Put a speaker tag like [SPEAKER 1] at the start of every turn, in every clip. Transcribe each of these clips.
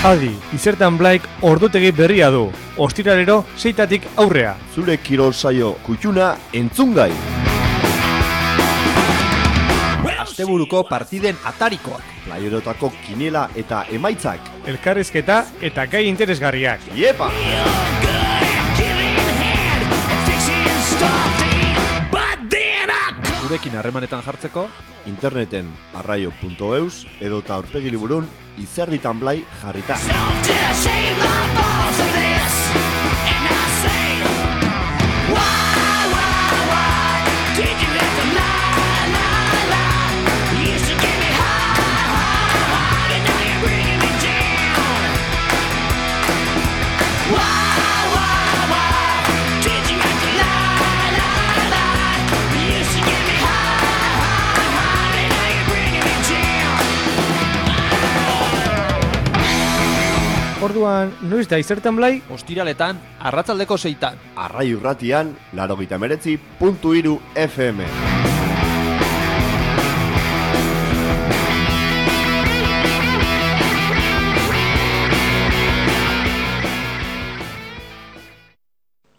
[SPEAKER 1] Adi, Izertan Blaik ordutegi berria du. Ostiralero 6tatik aurrea.
[SPEAKER 2] Zure kirol saio kutxuna entzungai.
[SPEAKER 3] Asteburuko partiden atarikoak.
[SPEAKER 2] Playerotako kiniela eta emaitzak.
[SPEAKER 1] Elkarrizketa eta gai interesgarriak.
[SPEAKER 2] Iepa!
[SPEAKER 3] Gurekin harremanetan jartzeko
[SPEAKER 2] interneten arraio.eus edota aurpegi liburun Izerditan Blai jarrita.
[SPEAKER 1] Orduan, noiz da Izertan Blai?
[SPEAKER 3] ostiraletan arratsaldeko 6tan.
[SPEAKER 2] Arraio irratian 89.3 FM.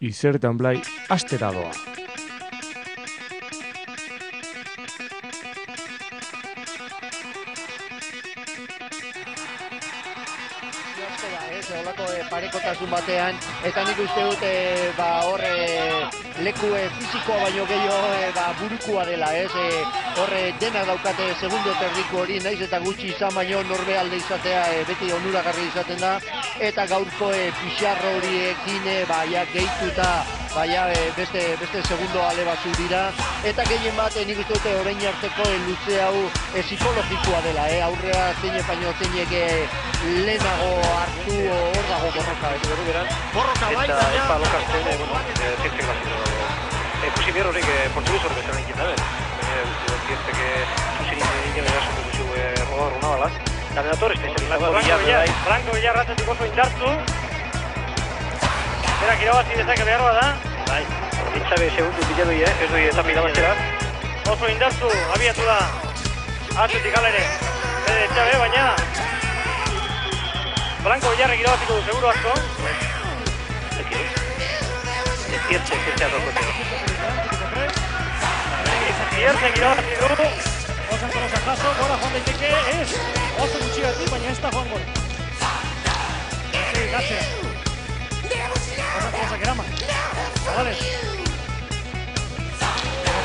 [SPEAKER 1] Izertan Blai astera doa.
[SPEAKER 4] Parekotasun batean, eta nik uste dut leku fizikoa baino gehiago burukua dela, horre dena daukate segundo terdiko hori, naiz eta gutxi izan baino norbealde izatea beti onuragarri izaten da, eta gaurko pixarro horiekin gehituta beste segundo ale batzu dira, eta gehien bat nik uste dute orain arteko luze hau psikologikoa dela, aurrea zeinek baino zeinek lehenago hartu hor dago borroka, borroka bai, eta lokartzen, zientzek bazio ikusi behar horiek portugez hori bezala egin dabe, zientzek zuzin egin eraso dugu rodar una balaz, eta bedator ez da Franco Villar ratzetuko oso indartu, berak irabazi dezake behar da, bai, ditzabe segundu biladu ez doi eta irabaztera, oso indartu, abiatu da, atzetik ala ere, ditzabe, baina Franco Villarrek irabaziko du, seguro asko. Ziertzek rokote. Ziertzek irabazi du. Osan kolosa jaso, gora joan daiteke, ez. Oso gutxigatik, baina ez da joan gol. Gatzea. Osan kolosa gerama. Zabales.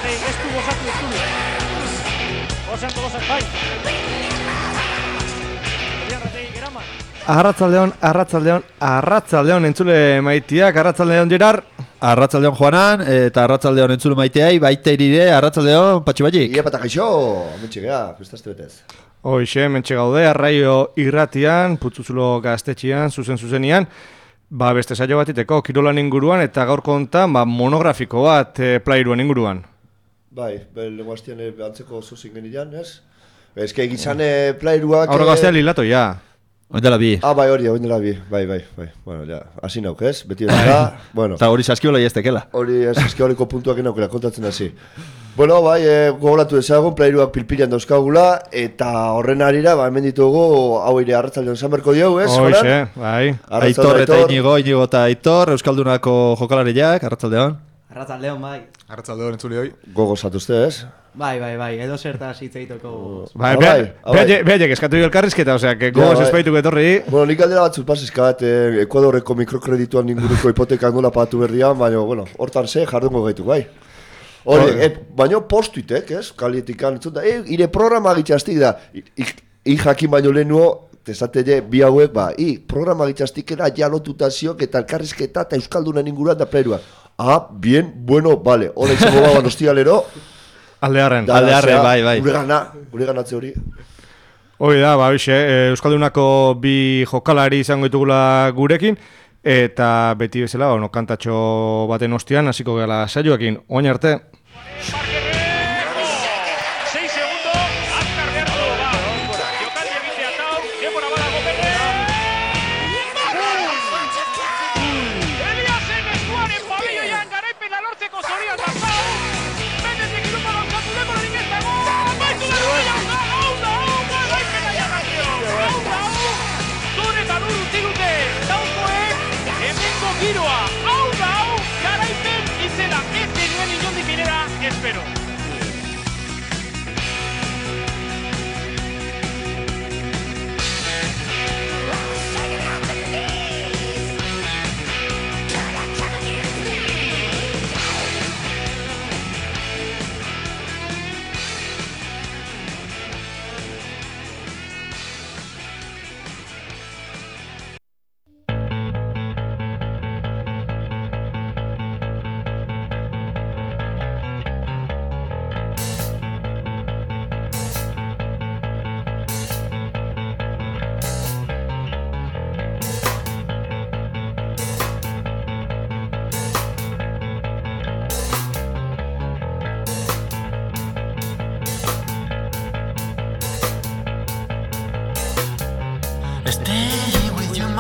[SPEAKER 4] Ez du gozatu ez du. Osan kolosa bai. Gerama.
[SPEAKER 1] Arratsaldeon entzule maitiak, arratsaldeon Gerard.
[SPEAKER 3] Arratsaldeon Juanan, eta arratsaldeon entzule maiteai, baita iride, arratsaldeon Patxibatik.
[SPEAKER 2] Ia pata gaixo, mentxe gea, festazte betez.
[SPEAKER 1] Hoxe, mentxe gaude, arraio irratian, putzuzulo gaztetxian, zuzenian, beste saio bat iteko, kirolan inguruan, eta gaurko hontan monografiko bat Playeruen inguruan.
[SPEAKER 2] Bai, lengo hastian antzeko zuzin genian, ez? Ez que egizan Playeruak...
[SPEAKER 1] Aurra gaztea lilato, ja.
[SPEAKER 3] Oindela bi.
[SPEAKER 2] Bai, hori, oindela bi, bai. Bueno, ja, hasi nauk, ez? Beti ez da, bueno.
[SPEAKER 3] Eta hori saskiola iaztekela.
[SPEAKER 2] Hori saskioliko puntuak enaukela, kontatzen hasi. Bueno, bai, gogoratu ezagun, Playeruak pilpilan dauzkagula, eta horren harira, hemen ditugu, hau ere arratsaldeon izan berko diau, ez?
[SPEAKER 1] Hoxe, bai.
[SPEAKER 3] Aitor eta Inigo eta Aitor, Euskaldunako jokalariak, arratsaldeon.
[SPEAKER 5] Arratsaldeon, bai.
[SPEAKER 6] Arratsaldeon entzule hoi.
[SPEAKER 2] Gogozatu uste, ez?
[SPEAKER 5] Bai, edo zertaz hitz egiteko.
[SPEAKER 1] Behaiek eskatu elkarrizketa, osea, gogoz espaituko etorri.
[SPEAKER 2] Bueno, nik aldera batzut pasizkat, Ekuadorreko mikrokredituan inguruko hipoteka nola pagatu berdian, baina, bueno, hortan jardungo gaitu, bai. Hori, baina postuitek, ez? Kalietikan, ire programa gitxastik da, jakin baino lehenuo, tesatele bi hauek, programa gitxastikera jalotuta ziok eta elkarrizketa eta Euskaldunen inguruan da Playerua. Bien, bueno, vale, hori izango baban ostialero.
[SPEAKER 1] Aldearren,
[SPEAKER 3] bai.
[SPEAKER 2] Gure ganatze hori.
[SPEAKER 1] Hoi da, Euskaldunako bi jokalari izango ditugula gurekin, eta beti bezala, kantatxo baten ostian, hasiko gela saioekin, oin arte.
[SPEAKER 7] Zure eta lur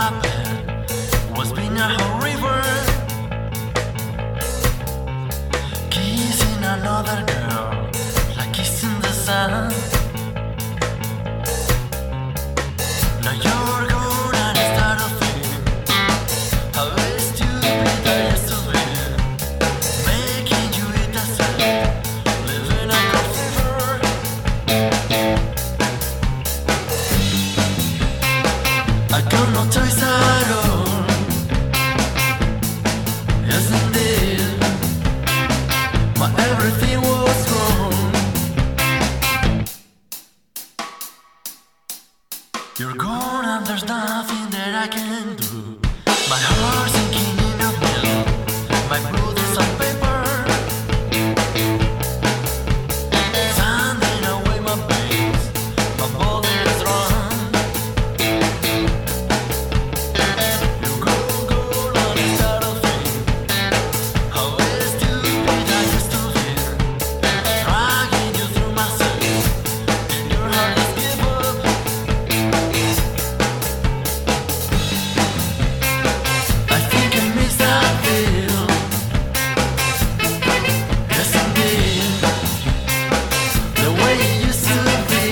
[SPEAKER 6] my bed was being a whole river, kissing another girl like kissing the sun. Now you're gone and I start to feel how stupid I used to be, making you eat the sun, living like a fever. I got no choice at all. Yes, indeed, my everything was wrong. You're gone and there's nothing that I can do. My heart's sinking in a mill. My blood is on paper, sanding away my veins. My body is run. You go and I start to think how stupid I used to be, dragging you through my sins, and your heart is give up. I think I miss that feel. Yes, indeed, the way it used to be.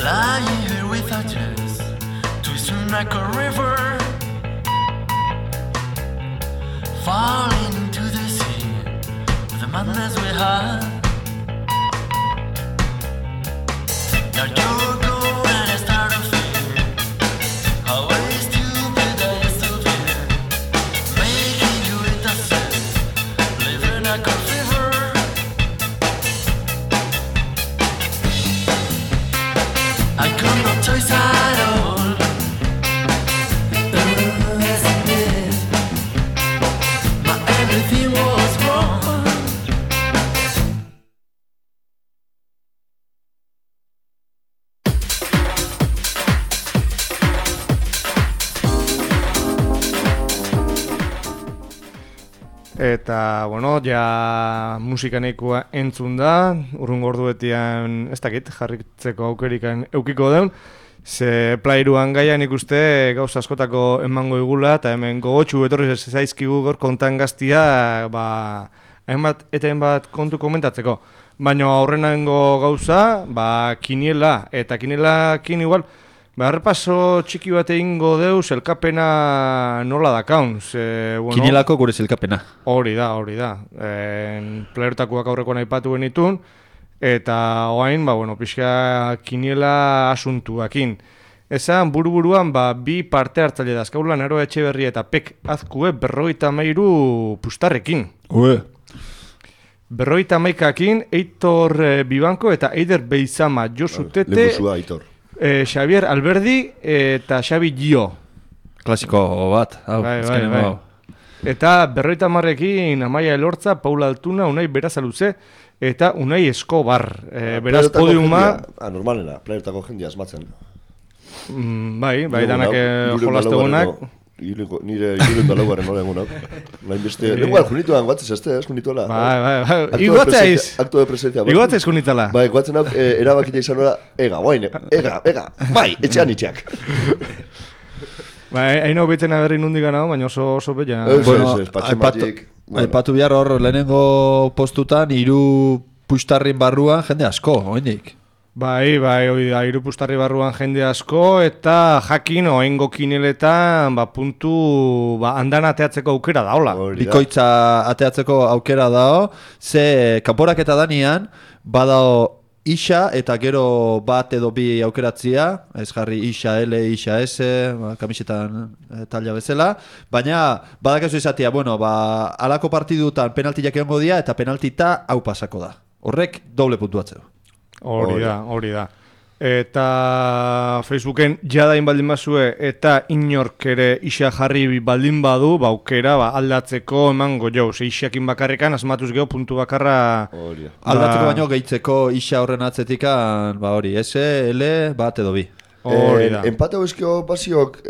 [SPEAKER 6] Lying here without chance to swim like a river, falling into the sea with the madness we had. Now you're gone and I start to feel how stupid I used to be, making you eat the sun, living like a fever. I got no choice at all. Yes, indeed, my everything was wrong.
[SPEAKER 1] Eta, bueno, ja musika nahikoa entzun da, urrungo orduetian, ez dakit, jarritzeko aukerikan eukiko deun, ze plairuan gaian ikuste gauza askotako emango igula, eta hemen gogotxu etorri zaizkigu gaur kontan gaztia, hainbat eta hainbat kontu komentatzeko. Baina aurrenango gauza, kiniela, eta kinielakin igual, errepaso txiki bat egingo deuz, elkapena nola dakaun. Bueno,
[SPEAKER 3] Kinielako gure zelkapena.
[SPEAKER 1] Hori da. Playertakoak aurrekoan aipatu genitun, eta oain, pixka kiniela asuntuakin. Esan, buruan, bi parte hartzaile dazkaulan, Aroa Etxeberria eta Pek Azkue 53 pustarrekin.
[SPEAKER 3] Ue.
[SPEAKER 1] 53akin, Eitor Bibanko eta Eider Beizama, Josu Tete,
[SPEAKER 2] Lehusua, Aitor.
[SPEAKER 1] Xavier Alberdi eta Xabi Gio.
[SPEAKER 3] Klasiko bat. Hau,
[SPEAKER 1] Bai. Eta 50ekin Amaia Elortza, Paula Altuna, Unai Berazaluze eta Unai Escobar. Beraz podiuma...
[SPEAKER 2] Normalena, playertako jendia asmatzen.
[SPEAKER 1] Bai, danak jolastegunak.
[SPEAKER 2] Nire iruren dalaugarren nola egunak. Lenguar junituan, guatzez ez junituela.
[SPEAKER 1] Bai. Iguatzeiz.
[SPEAKER 2] Akto de presencia.
[SPEAKER 1] Iguatzeiz junitala.
[SPEAKER 2] Bai, guatzen hau erabakita izan nola, ega, bai, etxean itxeak.
[SPEAKER 1] Bai, hain hau beten aberri nundik gana, baina oso bella.
[SPEAKER 3] Aipatu behar hor lehenengo postutan 3 puxtarrin barruan jende asko, oindik.
[SPEAKER 1] Bai, hori da, 3 pustarri barruan jende asko, eta jakin oengo kineletan, puntu, andan ateatzeko aukera daola.
[SPEAKER 3] Bikoitza ateatzeko aukera dao, ze kanporak eta danian, badao Isa eta gero bat edo bi aukeratzia, ez jarri Isa L, Isa S, kamisetan talia bezala, baina badakazu izatea, bueno, alako partidutan penaltiak egongo dira eta penaltita hau pasako da. Horrek doble puntuatzeo.
[SPEAKER 1] Hori da. Eta Facebooken jadain baldin bazue eta inork ere Isa jarri baldin badu, aukera aldatzeko emango jo. Isakin bakarrekan asmatuz geho puntu bakarra...
[SPEAKER 3] Aldatzeko baino gehitzeko Isa horren atzetikan, hori, S, L, bat edo bi.
[SPEAKER 1] Hori da.
[SPEAKER 2] Empate hauizkio basiok...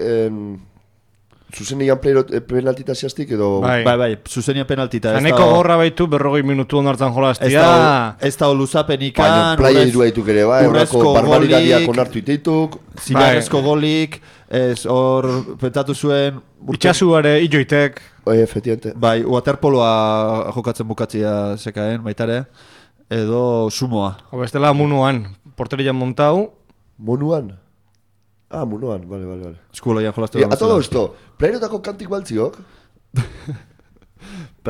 [SPEAKER 2] Zuzenian penaltita zehaztik edo...
[SPEAKER 3] Bai, zuzenian penaltita.
[SPEAKER 1] Zaneko gorra baitu 40 minutu onartan jolaztia.
[SPEAKER 3] Ez da luzapenikan...
[SPEAKER 2] Playa irua dituk ere, horako barbaridadiak onartu itituk.
[SPEAKER 3] Zilarrezko golik, ez hor pentatu zuen...
[SPEAKER 1] Itxasuare illoitek.
[SPEAKER 2] Efectivamente.
[SPEAKER 3] Bai, waterpoloa jokatzen bukatzia zekaen, baitare. Edo sumoa.
[SPEAKER 1] Bestela munuan, porterian montau.
[SPEAKER 2] Munuan? Munuan, vale.
[SPEAKER 3] Eskubaloian jolaztu
[SPEAKER 2] da. A todo esto, playrotako kantik baltziok?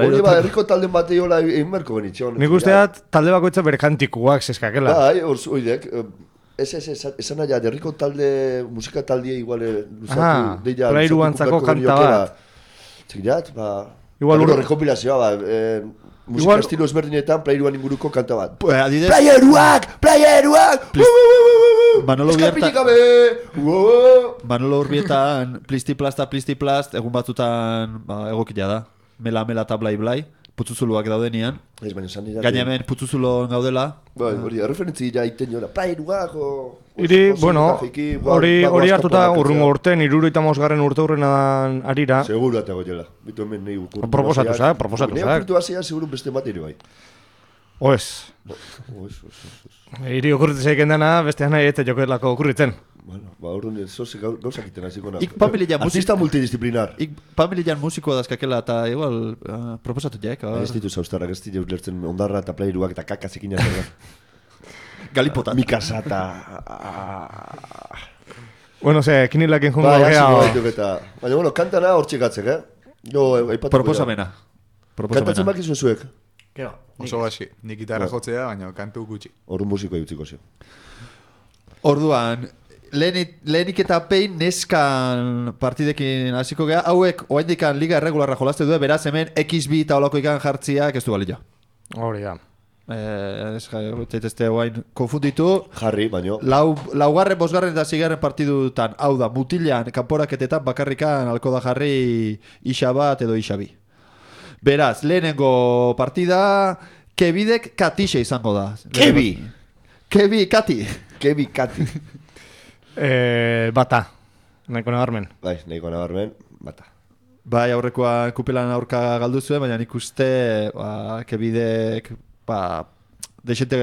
[SPEAKER 2] Hori herriko talden batei hola egin berko benitxon.
[SPEAKER 1] Nik usteat talde bakoitza bere kantikuak zeskakela.
[SPEAKER 2] Bai, oidek. Esan nahi, herriko talde, musika taldie igual luzatu.
[SPEAKER 1] Playruantzako kanta bat.
[SPEAKER 2] Txikirat, igual rekompilazioa, musika estilo ezberdinetan playruan inguruko kanta bat. Playeruak!
[SPEAKER 3] Manolo Urbietan plisti-plast, egun batzutan egokila da. Mela eta blai, putzuzuluak daudenian. Gaina hemen putzuzulon gaudela.
[SPEAKER 2] Hori, referentzi jaiten jola, playeruak
[SPEAKER 1] hori hartuta urrungo urten, 75. urte hurrenan arira.
[SPEAKER 2] Seguru eta goiela. Bitu hemen nahi ukur.
[SPEAKER 1] Proposatuzak.
[SPEAKER 2] Neu kurtu hasia seguru beste bat ere bai.
[SPEAKER 1] Oez. Iri okurritzen zeiken dana, bestean nahi eta jokoelako okurritzen.
[SPEAKER 2] Bueno, orduan zoze gauzak iten haziko na.
[SPEAKER 3] Artista
[SPEAKER 2] multidisciplinar.
[SPEAKER 3] Pamilian musikoa dazkakela eta igual proposatu jaek.
[SPEAKER 2] Ez ditu zauztarrak, ez ditu lertzen ondarra eta playeruak eta kakazekin azera.
[SPEAKER 3] Galipotat.
[SPEAKER 2] Mikasa eta...
[SPEAKER 1] Bueno, kinilakin jungo gea.
[SPEAKER 2] Baina, kantana hor txekatzek,
[SPEAKER 3] Proposamena.
[SPEAKER 2] Kantatzen bakizu zuek?
[SPEAKER 7] Oso basi, nik gitarra jotzea, baina kantu gutxi.
[SPEAKER 2] Horren musikoa jutziko zio.
[SPEAKER 3] Orduan, lehenik eta pein neskan partidekin hasiko gea, hauek oaindikan liga erregularra jolazte du, beraz hemen XB eta olako ikan jartziak ez du balio.
[SPEAKER 1] Hori da.
[SPEAKER 3] Zaitezte oain konfunditu.
[SPEAKER 2] Jarri, baino.
[SPEAKER 3] Laugarren, bosgarren eta zigarren partidutan, hau da, mutilan, kanporaketetan bakarrikan alko da jarri Isa bat edo Isa bi. Beraz, lehenengo partida, Kebidek Katixe izango da. Kebi, Kati.
[SPEAKER 1] Bata. Nahiko nabarmen.
[SPEAKER 2] Bai, nahiko nabarmen, bata.
[SPEAKER 3] Bai, aurrekoa kupelan aurka galdu zuen, baina nik uste Kebidek desente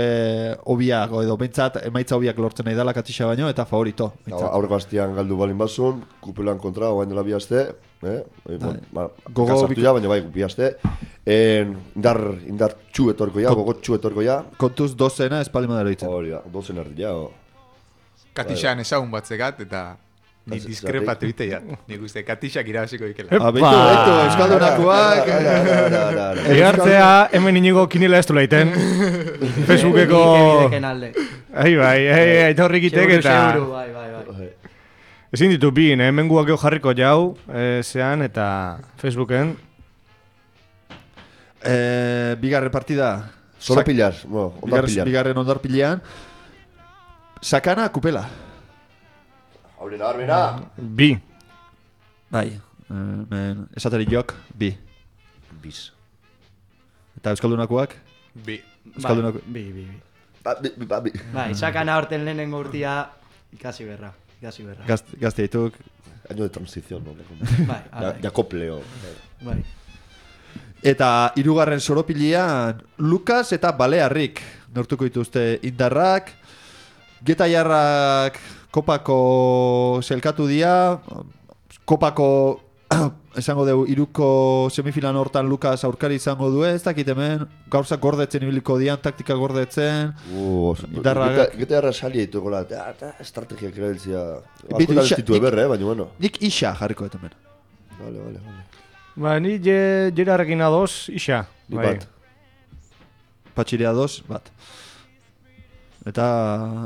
[SPEAKER 3] obiak, edo bentsat emaitza obiak lortzen nahi dela Katixa baino, eta favorito.
[SPEAKER 2] Aurreko hastian galdu balin bazun, kupelan kontra, oain dela bi haste,
[SPEAKER 3] Kasartu
[SPEAKER 2] ja, baina bai, bi haste. Indar txu etorko ja, gogot txu etorko ja.
[SPEAKER 3] Kontuz dozena espalima dara ditzen.
[SPEAKER 2] Hori da, dozen erdi ja.
[SPEAKER 7] Katixan ezagun bat zegat, eta ni diskrepatu bite ja. Nik uste Katixak irabaziko dikela.
[SPEAKER 3] Beitu, eskaldunakoak.
[SPEAKER 1] Egartzea, hemen inigo kinila ez du laiten. Facebookeko... Bai, eta horrikitek eta...
[SPEAKER 5] Bai.
[SPEAKER 1] Ezin ditu bin, hemen guak jarriko jau, zean eta Facebooken.
[SPEAKER 3] Bigarren partida.
[SPEAKER 2] Solo pillar, ondar pillar.
[SPEAKER 3] Bigarren ondar pilean. Sakana, kupela.
[SPEAKER 2] Aurrena, arbena.
[SPEAKER 1] Bi.
[SPEAKER 3] Bai, esateri jok, bi.
[SPEAKER 2] Biz.
[SPEAKER 3] Eta euskaldunakoak?
[SPEAKER 7] Bi.
[SPEAKER 5] Bi.
[SPEAKER 2] Bi.
[SPEAKER 5] Bai, sakana horten lehenengo urtia ikasi berra.
[SPEAKER 3] Gazte dituk.
[SPEAKER 2] Año de transición, no?
[SPEAKER 5] Bai.
[SPEAKER 2] Jakopleo.
[SPEAKER 5] Bai.
[SPEAKER 3] Eta hirugarren soropilean Lukas eta Balearrik nortuko dituzte indarrak. Getaiarrak kopako zelkatu dira. Kopako esango dugu iruko semifilan hortan Lukas aurkari izango du, ez dakit hemen gauzak gordetzen ibiliko dian, taktika gordetzen.
[SPEAKER 2] Getaiarra salia ditu gola, estrategiak erabiltzea. Asko ez ditu eberre, baina bueno.
[SPEAKER 3] Nik Isa jarriko dut hemen.
[SPEAKER 2] Vale.
[SPEAKER 1] Ba, ni jerarekin adoz, Isa.
[SPEAKER 2] Bat.
[SPEAKER 3] Patxirea 2, bat. Eta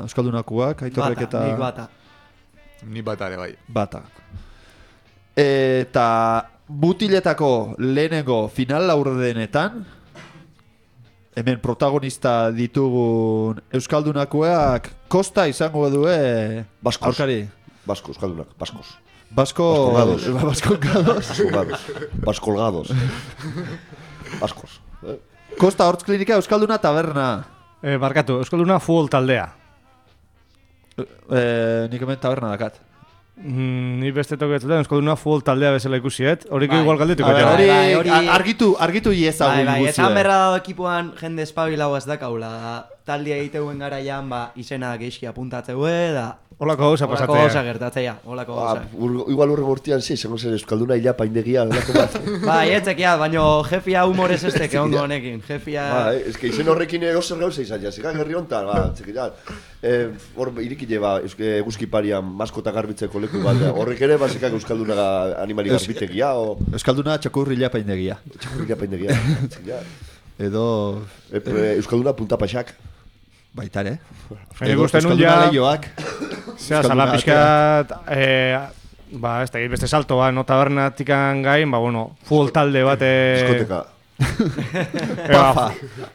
[SPEAKER 3] Euskaldunakoak, Aitorrek
[SPEAKER 5] Bata,
[SPEAKER 3] eta...
[SPEAKER 5] nik bata.
[SPEAKER 7] Ni batare bai.
[SPEAKER 3] Bata. Eta mutiletako lehenengo final laurdenetan, hemen protagonista ditugun Euskaldunakoak Kosta izango due
[SPEAKER 2] Baskos.
[SPEAKER 3] aurkari.
[SPEAKER 2] Basko, Euskaldunak, baskos.
[SPEAKER 3] Baskolgados.
[SPEAKER 2] Baskolgados. Baskos.
[SPEAKER 3] Kosta Hortz Klinika Euskalduna taberna.
[SPEAKER 1] Barkatu, Euskalduna futbol taldea.
[SPEAKER 3] Nik hemen taberna dakat.
[SPEAKER 1] Ni beste toketuta Euskalduna futbol taldea bezala ikusiet. Horiko
[SPEAKER 5] Bai.
[SPEAKER 1] igual galdetuko.
[SPEAKER 3] A ber,
[SPEAKER 1] ja.
[SPEAKER 3] hori argitu iezagun
[SPEAKER 5] Bai,
[SPEAKER 3] guzti.
[SPEAKER 5] esan berra dago ekipuan jende espabilau ez dakaula. Taldea egiteuen garaian, izena geizki apuntatzeu da...
[SPEAKER 1] Holako gauza
[SPEAKER 5] Olako
[SPEAKER 1] pasatzea.
[SPEAKER 5] gauza gertatzea, olako gauza.
[SPEAKER 2] Igual urren urtean izango zen Euskalduna hilapa indegia, delako bat.
[SPEAKER 5] Bai, etzekia, baina jefia humorez ez teke ondo honekin. Jefia...
[SPEAKER 2] que izen horrekin egozer gauza izan, jasika gerri hontan, txekitat. Hor irikile, eguzki parian maskota garbitzeko leku bat, horrek ere, basekak Euskalduna animali garbitegia, o...
[SPEAKER 3] Euskalduna txakurri lapaindegia.
[SPEAKER 2] Txakurri lapaindegia, txekitat.
[SPEAKER 3] Edo...
[SPEAKER 2] Euskalduna puntapaxak.
[SPEAKER 3] Baitare.
[SPEAKER 1] Nik uste nun ja...
[SPEAKER 3] Leioak.
[SPEAKER 1] Zea, zala pixkat... ez da, beste saltoa, no tabernatikan gain, futbol talde bat...
[SPEAKER 2] Diskoteka.
[SPEAKER 1] Pafa.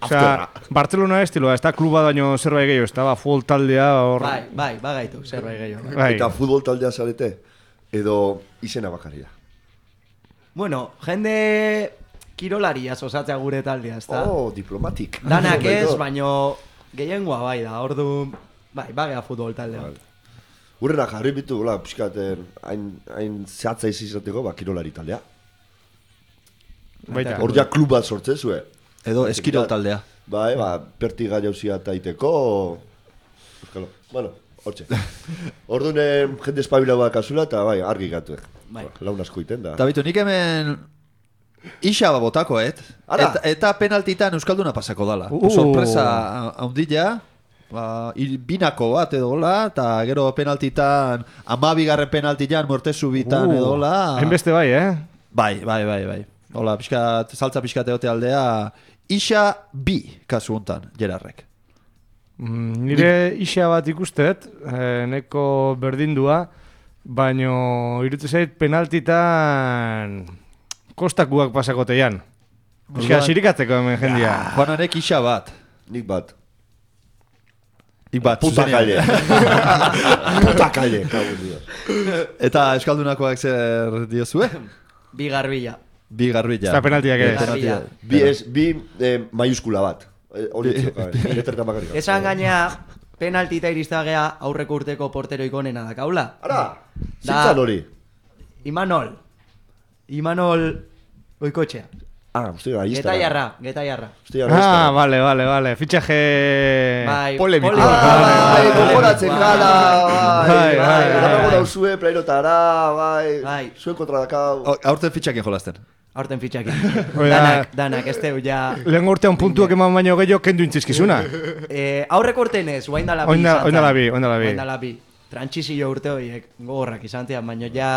[SPEAKER 1] Osea, Barcelona estiloa, ez da kluba baino zerbait gehiago, ez da, futbol taldea hor...
[SPEAKER 5] Bai, bagaitu, zerbait gehiago.
[SPEAKER 1] Bai.
[SPEAKER 2] Eta futbol taldea zarete, edo izena bakaria.
[SPEAKER 5] Bueno, jende kirolaria osatzea gure taldea, ez da?
[SPEAKER 2] Oh, diplomatik.
[SPEAKER 5] Danak ez, baino gehiengoa bai da, ordu... Bai, bagea futbol taldea.
[SPEAKER 2] Urrena jarri bitu, pixkat, hain zehatza izateko, kirolari taldea.
[SPEAKER 1] Baita.
[SPEAKER 2] Hor ja klub bat sortzen zue.
[SPEAKER 3] Edo eskirol taldea.
[SPEAKER 2] Bai, pertiga jauzia taiteko... Euskalo, hortxe. Orduan jende espabila bat kasula eta bai, argi gatu.
[SPEAKER 5] Bai.
[SPEAKER 2] Laun asko iten da.
[SPEAKER 3] Eta bitu, nik hemen... Ixa botako,
[SPEAKER 2] Ara!
[SPEAKER 3] Eta penaltitan Euskalduna pasako dala. Sorpresa haundila. Binako bat edo hola, eta gero penaltitan, 12. penaltitan, mortezu bitan edo hola.
[SPEAKER 1] Hainbeste bai,
[SPEAKER 3] Bai. Hola, saltza pixkat egote aldea, Ixa bi kasu hontan, Gerarrek.
[SPEAKER 1] Nire isa bat ikustet, neko berdindua, baino irutu zait penaltitan kostakuak pasakoteian. Euskal sirikatzeko hemen jendia.
[SPEAKER 3] Juananek Ixa bat.
[SPEAKER 2] Nik bat.
[SPEAKER 3] Puta
[SPEAKER 2] kalle. Puta kalle, kago dios.
[SPEAKER 3] Eta Euskaldunakoak zer diozue?
[SPEAKER 5] Bi garbila.
[SPEAKER 3] Bi garbila.
[SPEAKER 1] Eta penaltiak ez.
[SPEAKER 5] Garbila.
[SPEAKER 2] Bi maiuskula bat. Hori letretan bakarrik.
[SPEAKER 5] Esan gaina penaltita iristagea aurreko urteko portero ikonena da kaula.
[SPEAKER 2] Ara, zintzan hori.
[SPEAKER 5] Imanol Oikotxea.
[SPEAKER 2] Hostia, ahí está.
[SPEAKER 5] Getaiarra.
[SPEAKER 1] Vale. Fitxaje
[SPEAKER 5] Bai,
[SPEAKER 1] polemiko.
[SPEAKER 2] Gogoratzen gala,
[SPEAKER 1] Bai.
[SPEAKER 2] Dago dauzue, plairotara,
[SPEAKER 5] Bai.
[SPEAKER 2] Zuen kontra dakau.
[SPEAKER 3] Aurten fitxakin jolasten.
[SPEAKER 5] Aurten fitxakin.
[SPEAKER 1] Oida.
[SPEAKER 5] Danak, ez teu ja...
[SPEAKER 1] Lehen urtean puntuak eman baino gehiago kendu intzizkizuna.
[SPEAKER 5] Aurreko urten ez, oindala bi.
[SPEAKER 1] Oindala bi.
[SPEAKER 5] Trantsizio urte horiek gogorrak izan zian, baina ja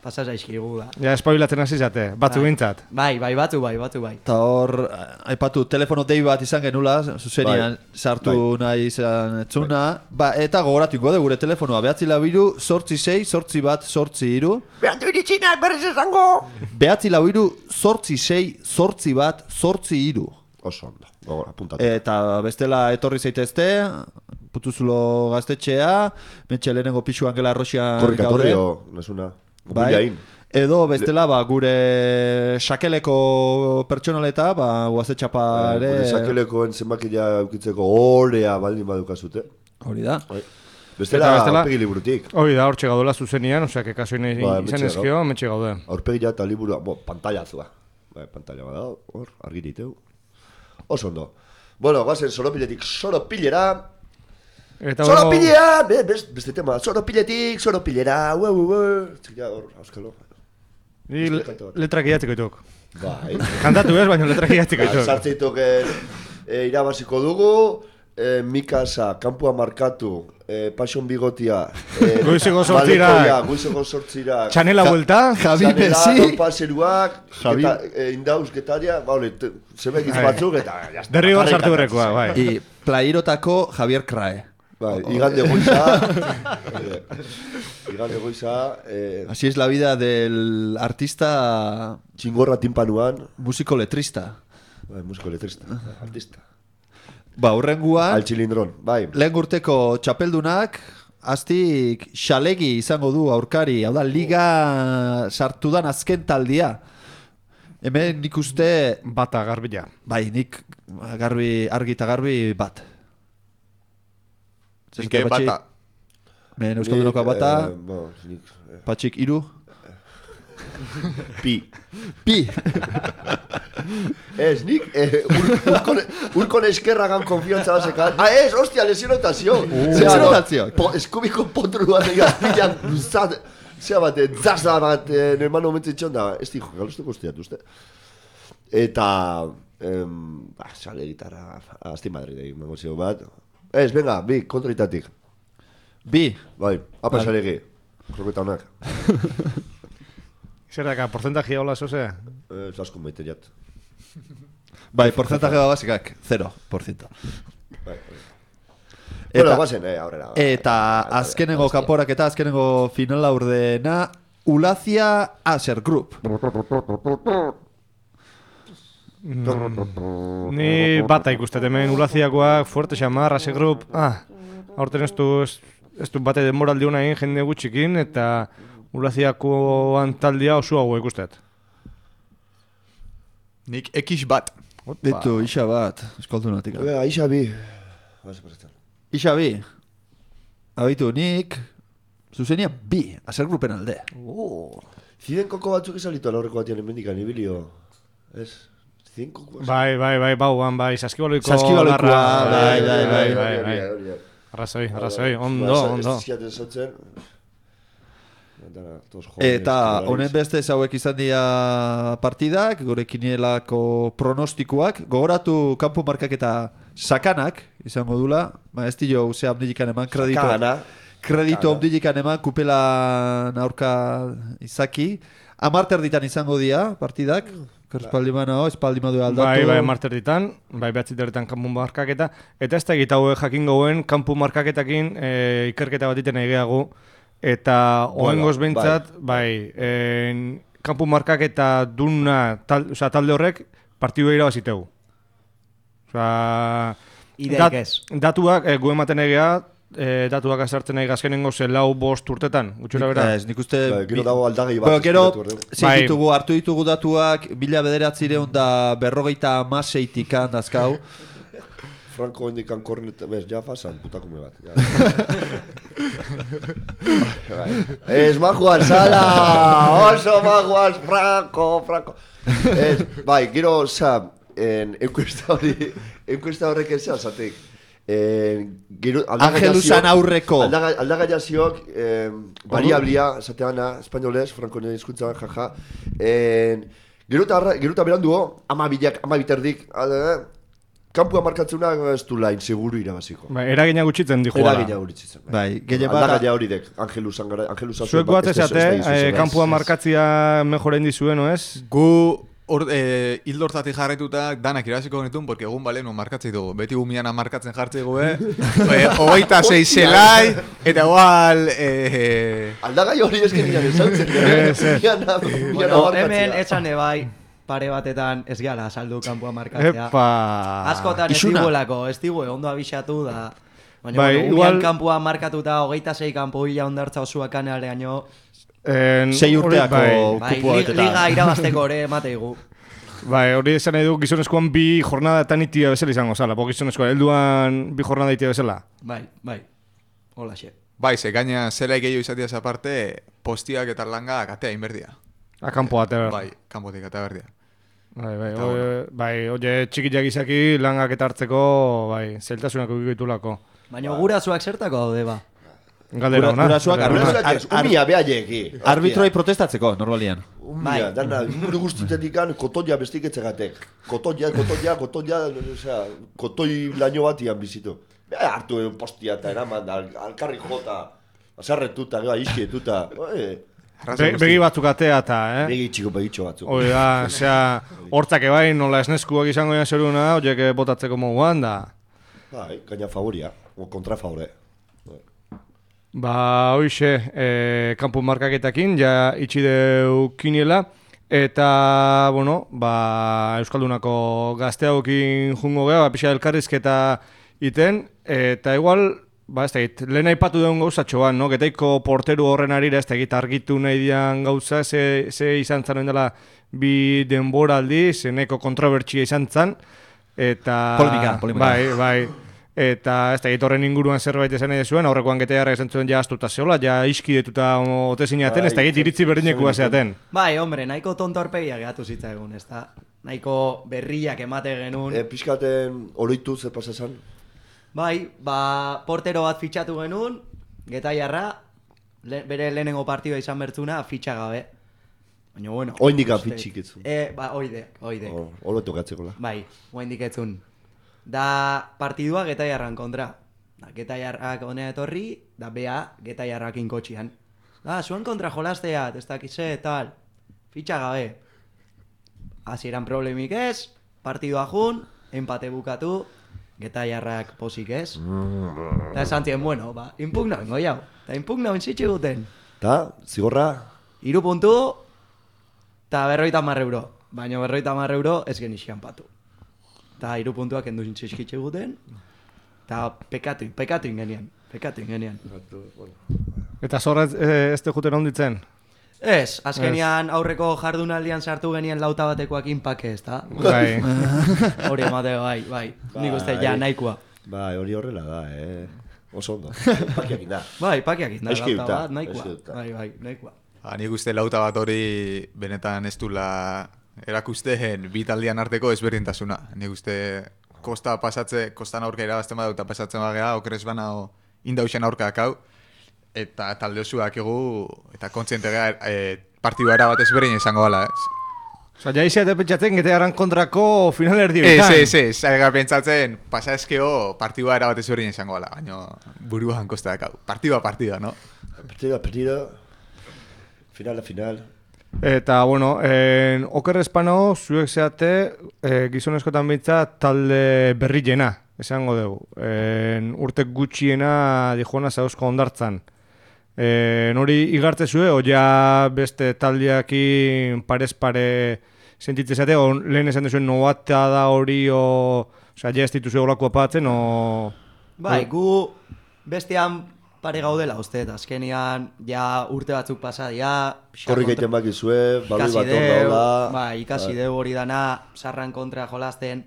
[SPEAKER 5] pasaz aizkigu da.
[SPEAKER 1] Ja, espabilatzen hasi zate, batzu bintzat.
[SPEAKER 5] Bai, batu bai.
[SPEAKER 3] Eta hor, aipatu, telefono dei bat izan genula, zuzenian sartu nahi izan etzuna. Eta gogoratuko gure telefonoa, 9 sortzi 6, sortzi bat, sortzi 3.
[SPEAKER 2] Behantu iritxinak, berriz esango!
[SPEAKER 3] 9 sortzi 6, sortzi bat, sortzi 3.
[SPEAKER 2] Oso ondo, gogor, apuntatu.
[SPEAKER 3] Eta bestela etorri zaitezte, Putuzulo gaztetxea, mentxe lehenengo pixu Angela Arroxian
[SPEAKER 2] Korrikatorrio, nesuna.
[SPEAKER 3] Bai. Edo bestela gure sakeleko pertsonaleta, guazetxapa ere...
[SPEAKER 2] Gure sakelekoen zenbakia eukitzeko orea baldin badukazute.
[SPEAKER 3] Hori da.
[SPEAKER 2] Bestela aurpegi liburutik.
[SPEAKER 1] Hori da, hortxe gaudela zuzenian, osea, kekaso izan ezkio, metxe gaude.
[SPEAKER 2] Aurpegia eta liburua, pantaiazua. Pantaila bada, hor, argi diteu. Oso ondo. Bueno, guazen soropiletik soropilera... Soropilea! Beste tema, soropiletik, soropilera, txikila hor, auskalo.
[SPEAKER 1] Ni letrak idatiko dituk.
[SPEAKER 2] Bai.
[SPEAKER 1] Kantatu ez, baina letrak idatiko dituk.
[SPEAKER 2] Sartzeitok irabaziko dugu, Mikasa, kampua markatu, Passion Bigotia,
[SPEAKER 1] Goizeko sortzirak,
[SPEAKER 2] Goizeko sortzirak,
[SPEAKER 1] Txanela buelta,
[SPEAKER 3] Javi Messi,
[SPEAKER 2] Txanela, Paseruak, Indauz, Getaria, zemek izbatzuk, eta...
[SPEAKER 1] derrigor sartu berrekoa, bai.
[SPEAKER 3] Plairotako Javier Crae.
[SPEAKER 2] Bai, igande goiza. Igande goiza.
[SPEAKER 3] Así es la vida del artista
[SPEAKER 2] Txingorra timpanuan.
[SPEAKER 3] músico letrista.
[SPEAKER 2] Bai, musiko letrista. Artista.
[SPEAKER 3] Ba, hurrenguan,
[SPEAKER 2] Al txilindron, bai.
[SPEAKER 3] lehen urteko txapeldunak, aztik xalegi izango du aurkari, hau da, liga sartudan azken taldia. Hemen nik uste,
[SPEAKER 1] Bata garbila.
[SPEAKER 3] bai, nik argi eta garbi bat.
[SPEAKER 7] Zinke bata.
[SPEAKER 3] Men euskaldunoko bata,
[SPEAKER 2] Nik,
[SPEAKER 3] patxik iru,
[SPEAKER 2] pi.
[SPEAKER 3] pi.
[SPEAKER 2] Ez, nik urkon eskerragan konfiantza basekan. Ez, hostia, lesionotazio.
[SPEAKER 3] Lesionotazio.
[SPEAKER 2] Eskubiko potru bat egin luzat. Zea bat, zazda bat, normal momentu itxon da. Ez dijo, galustuko usteat, uste. Eta, sale gitarra, azti Madrid egin magozio bat. Ez, venga, bi, kontraitatik.
[SPEAKER 3] Bi.
[SPEAKER 2] Bai, apa salegi. Kroketa honak.
[SPEAKER 1] Zer daka, porcentajia hola zoze?
[SPEAKER 2] Zasko maite jat.
[SPEAKER 3] Bai, porcentaje basikak, 0%.
[SPEAKER 2] Bai,
[SPEAKER 3] Eta,
[SPEAKER 2] bueno, bazen, aurrera.
[SPEAKER 3] eta azkenengo kanporak eta azkenengo finala urdena, Ulazia Aser Group.
[SPEAKER 1] Ni bata ikustet hemen ulaziakoak, fuerte xamar, ase grup. Aurten ez du bate denboraldi hona egin jende gutxikin, eta ulaziakoan taldia oso hau ikustet.
[SPEAKER 7] Nik X bat.
[SPEAKER 3] Beto, isa bat, eskaldunatik.
[SPEAKER 2] Aixa bi.
[SPEAKER 3] Isa bi. Abitu, nik zuzenia bi, Aser Groupen alde.
[SPEAKER 2] Ziren koko batzuk esalitu alaurreko batian enmendikan, ibilio. Ez? Ziren koko batzuk.
[SPEAKER 1] Bai, bauan, bai, saskibaloiko
[SPEAKER 3] Saskibaloikoa,
[SPEAKER 1] bai. Arrazoi, ondo.
[SPEAKER 3] Eta honen beste hauek izan dira partidak, gure kinielako pronostikoak. Gogoratu kanpo markak eta sakanak izango dula. Ba, ez dio ze abdilikan eman kreditu abdilikan eman kupelan aurka izaki. 10 erditan izango dira partidak. Espaldi madu aldatu.
[SPEAKER 1] Bai, marter ditan, bai, behatzi derretan kanpu markaketa. Eta ez da egitago jakin gauen, kanpu markaketakin ikerketa bat iten egeago. Eta oengoz behintzat, bai, kanpu markaketa duna talde horrek partidu irabazitegu.
[SPEAKER 5] Ideik ez.
[SPEAKER 1] Datuak, gu ematen egea, datuak azartzen nahi gazkenengo lau 5 urtetan, gutxura bera.
[SPEAKER 3] Ez, nik uste...
[SPEAKER 2] Gero dago aldagai bat.
[SPEAKER 3] Gero, hartu ditugu datuak, 1956 handazkau.
[SPEAKER 2] Franco indikan kornet, bez, ja fasan, putakume bat. Ez majuan, sala! Oso majuan, Franco! Ez, bai, gero, enkuesta horrek ez zatik.
[SPEAKER 3] Angelusan aurreko.
[SPEAKER 2] Aldagaiazioak, variablia, zateana, espainolez, Franco nire hizkuntzan, jaja. Gero eta beranduo, 12 terdik, kanpua markatzeuna ez du lain, seguru irabaziko.
[SPEAKER 1] Bai, eragina gutxitzen di juala.
[SPEAKER 2] Eragina gutxitzen.
[SPEAKER 3] Bai, gehien bat...
[SPEAKER 2] Aldagaia hori dek, Angelusan
[SPEAKER 1] Zuek bat ezate, kanpua markatzia mejoren dizuen, no ez?
[SPEAKER 7] Gu hildortatik jarretuta danak irabaziko genitun, porque egun bale, no markatzei dugu. Beti gumiana markatzen jartzei gobe. 26 zelai, eta igual...
[SPEAKER 2] Aldagai hori esken nian ezautzen.
[SPEAKER 5] Hemen etxane bai, pare batetan ez gehala saldu kanpua markatzea. Askotan ez digu ondo abixatu da. Baina, igual kanpua markatuta 26 kanpo hila ondartza osua kanealeaino.
[SPEAKER 3] 6 urteako kupua beteta.
[SPEAKER 5] Liga irabazteko ere emateigu.
[SPEAKER 1] Bai, hori esan nahi du gizonezkoan 2 jornadatan itia bezala izango zala. Po gizonezkoan, helduan 2 jornada itia bezala.
[SPEAKER 5] Bai, hola xe.
[SPEAKER 7] Bai, ze gaina zela gehiago izatiaz aparte, postiak eta langa katea inberdia.
[SPEAKER 1] Kanpo atea berdia.
[SPEAKER 7] Bai, kanpotik atea berdia.
[SPEAKER 1] Bai, oie txikiak izaki langak eta hartzeko, bai, zeltasunak egitulako.
[SPEAKER 5] Baina gurasoak zertako daude ba?
[SPEAKER 1] Galdera hona.
[SPEAKER 2] Umia behaieki.
[SPEAKER 3] Arbitroi protestatzeko, normalian.
[SPEAKER 2] Umia, dana, inguru guztitetik kotoia bestiketzegatek. Kotoia, kotoi laino batian bizitu. Hartu egun postia eta eraman, alkarri jota, azarretuta, iskietuta.
[SPEAKER 1] Begi batzuk atea eta,
[SPEAKER 2] Begitxo batzuk.
[SPEAKER 1] Hoi da, hortzak ebai, nola esneskuak izango egin zeruna, horiek botatzeko moguan da.
[SPEAKER 2] Bai, gaina favoria, o kontra favore.
[SPEAKER 1] Ba, hoxe, kanpo markaketakin, ja itxideu kiniela, eta, bueno, ba, Euskaldunako gazteagokin jungo geha, ba, pixa elkarrizketa iten, eta igual, ba, ez da git, lehen aipatu duen gauzatxo bat, no? Getaiko porteru horren arira, ez da git, argitu nahi dian gauza, ze izan zan dela bi denboraldi, zeneko kontrobertsia izan zan, eta...
[SPEAKER 5] Polemika.
[SPEAKER 1] Bai. Eta ez da, horren inguruan zerbait esan nahi zuen, aurrekoan Getaiarrak esan zuen ja astuta zeola, ja iskidetuta ote zinaten, ez da, iritzi berdinekua zeaten.
[SPEAKER 5] Bai, hombre, nahiko tonto arpegia gehatu zitzaigun, ez da. Nahiko berriak emate genuen.
[SPEAKER 2] Pixkaten oroitu ze pasa esan?
[SPEAKER 5] Bai, ba, portero bat fitxatu genuen, Getaiarra, bere lehenengo partidua izan bertzuna, fitxa gabe. Baina, bueno...
[SPEAKER 2] Oindik fitxik etzun.
[SPEAKER 5] Ba, oide.
[SPEAKER 2] Olo tokatzeko la.
[SPEAKER 5] Bai, oindik etzun. Da partidua Getaiarran kontra. Da, Getaiarrak honea etorri, da bea Getaiarrakin kotxian. Da, zuen kontra jolastea, ez dakize, tal. Fitxa gabe. Hasieran problemik ez, partidua jun, empate bukatu, Getaiarrak posik ez. Eta esan zien, bueno, ba, impugna bengo jau. Eta impugna bentsitxe guten.
[SPEAKER 2] Ta, zigorra?
[SPEAKER 5] 3 puntu, eta 50 euro. Baina 50 euro ez genixian patu. Eta 3 puntuak endu zintxizkitxe guten, eta pekatu ingenian.
[SPEAKER 1] Eta zorra ez juten onditzen?
[SPEAKER 5] Ez, azkenian aurreko jardunaldian sartu genien lauta batekoak inpake, ez da?
[SPEAKER 1] Bai.
[SPEAKER 5] Hori emate, bai. Nik uste ja nahikoa.
[SPEAKER 2] Bai, hori horrela da, Oso ondo. Pakiak inda.
[SPEAKER 5] Bai, pakiak inda,
[SPEAKER 2] Eskiuta,
[SPEAKER 5] lauta bat, nahikoa.
[SPEAKER 2] eskiuta.
[SPEAKER 5] Bai, nahikoa.
[SPEAKER 7] Nik uste lauta bat hori benetan ez dula erakusteen bi taldean arteko ezberdintasuna. Nik uste kostan aurka irabazten badau eta pasatzen bagea, okeres bana indauxen aurkak hau, eta talde osuak egu, eta kontziente gara partidua erabat ezberdin izango gala, ez?
[SPEAKER 1] Osa, ja iziate pentsatzen Getaiarran kontrako final erdietan.
[SPEAKER 7] Ez, zaiga pentsatzen, pasa eskeo partidua erabat ezberdin izango gala, baina buruan kostak hau. Partida, no?
[SPEAKER 2] Partida, final.
[SPEAKER 1] Eta, bueno, oker espano, zuek zeate, gizonezkotan bitza talde berriena, esango dugu. Urtek gutxiena dijoana zauzko ondartzan. Hori igartze zue, o ja beste taldeakin parez pare sentitze zate, o lehen esan duzuen nobata da hori, ja ez dituzue olako apatzen, o...
[SPEAKER 5] Bai, gu bestean pare gaudela uste, azkenian ja urte batzuk pasadia.
[SPEAKER 2] Korrik egiten bakizue, baloi bat hor daula.
[SPEAKER 5] Bai, ikasi deu hori dana, sarran kontra jolasten.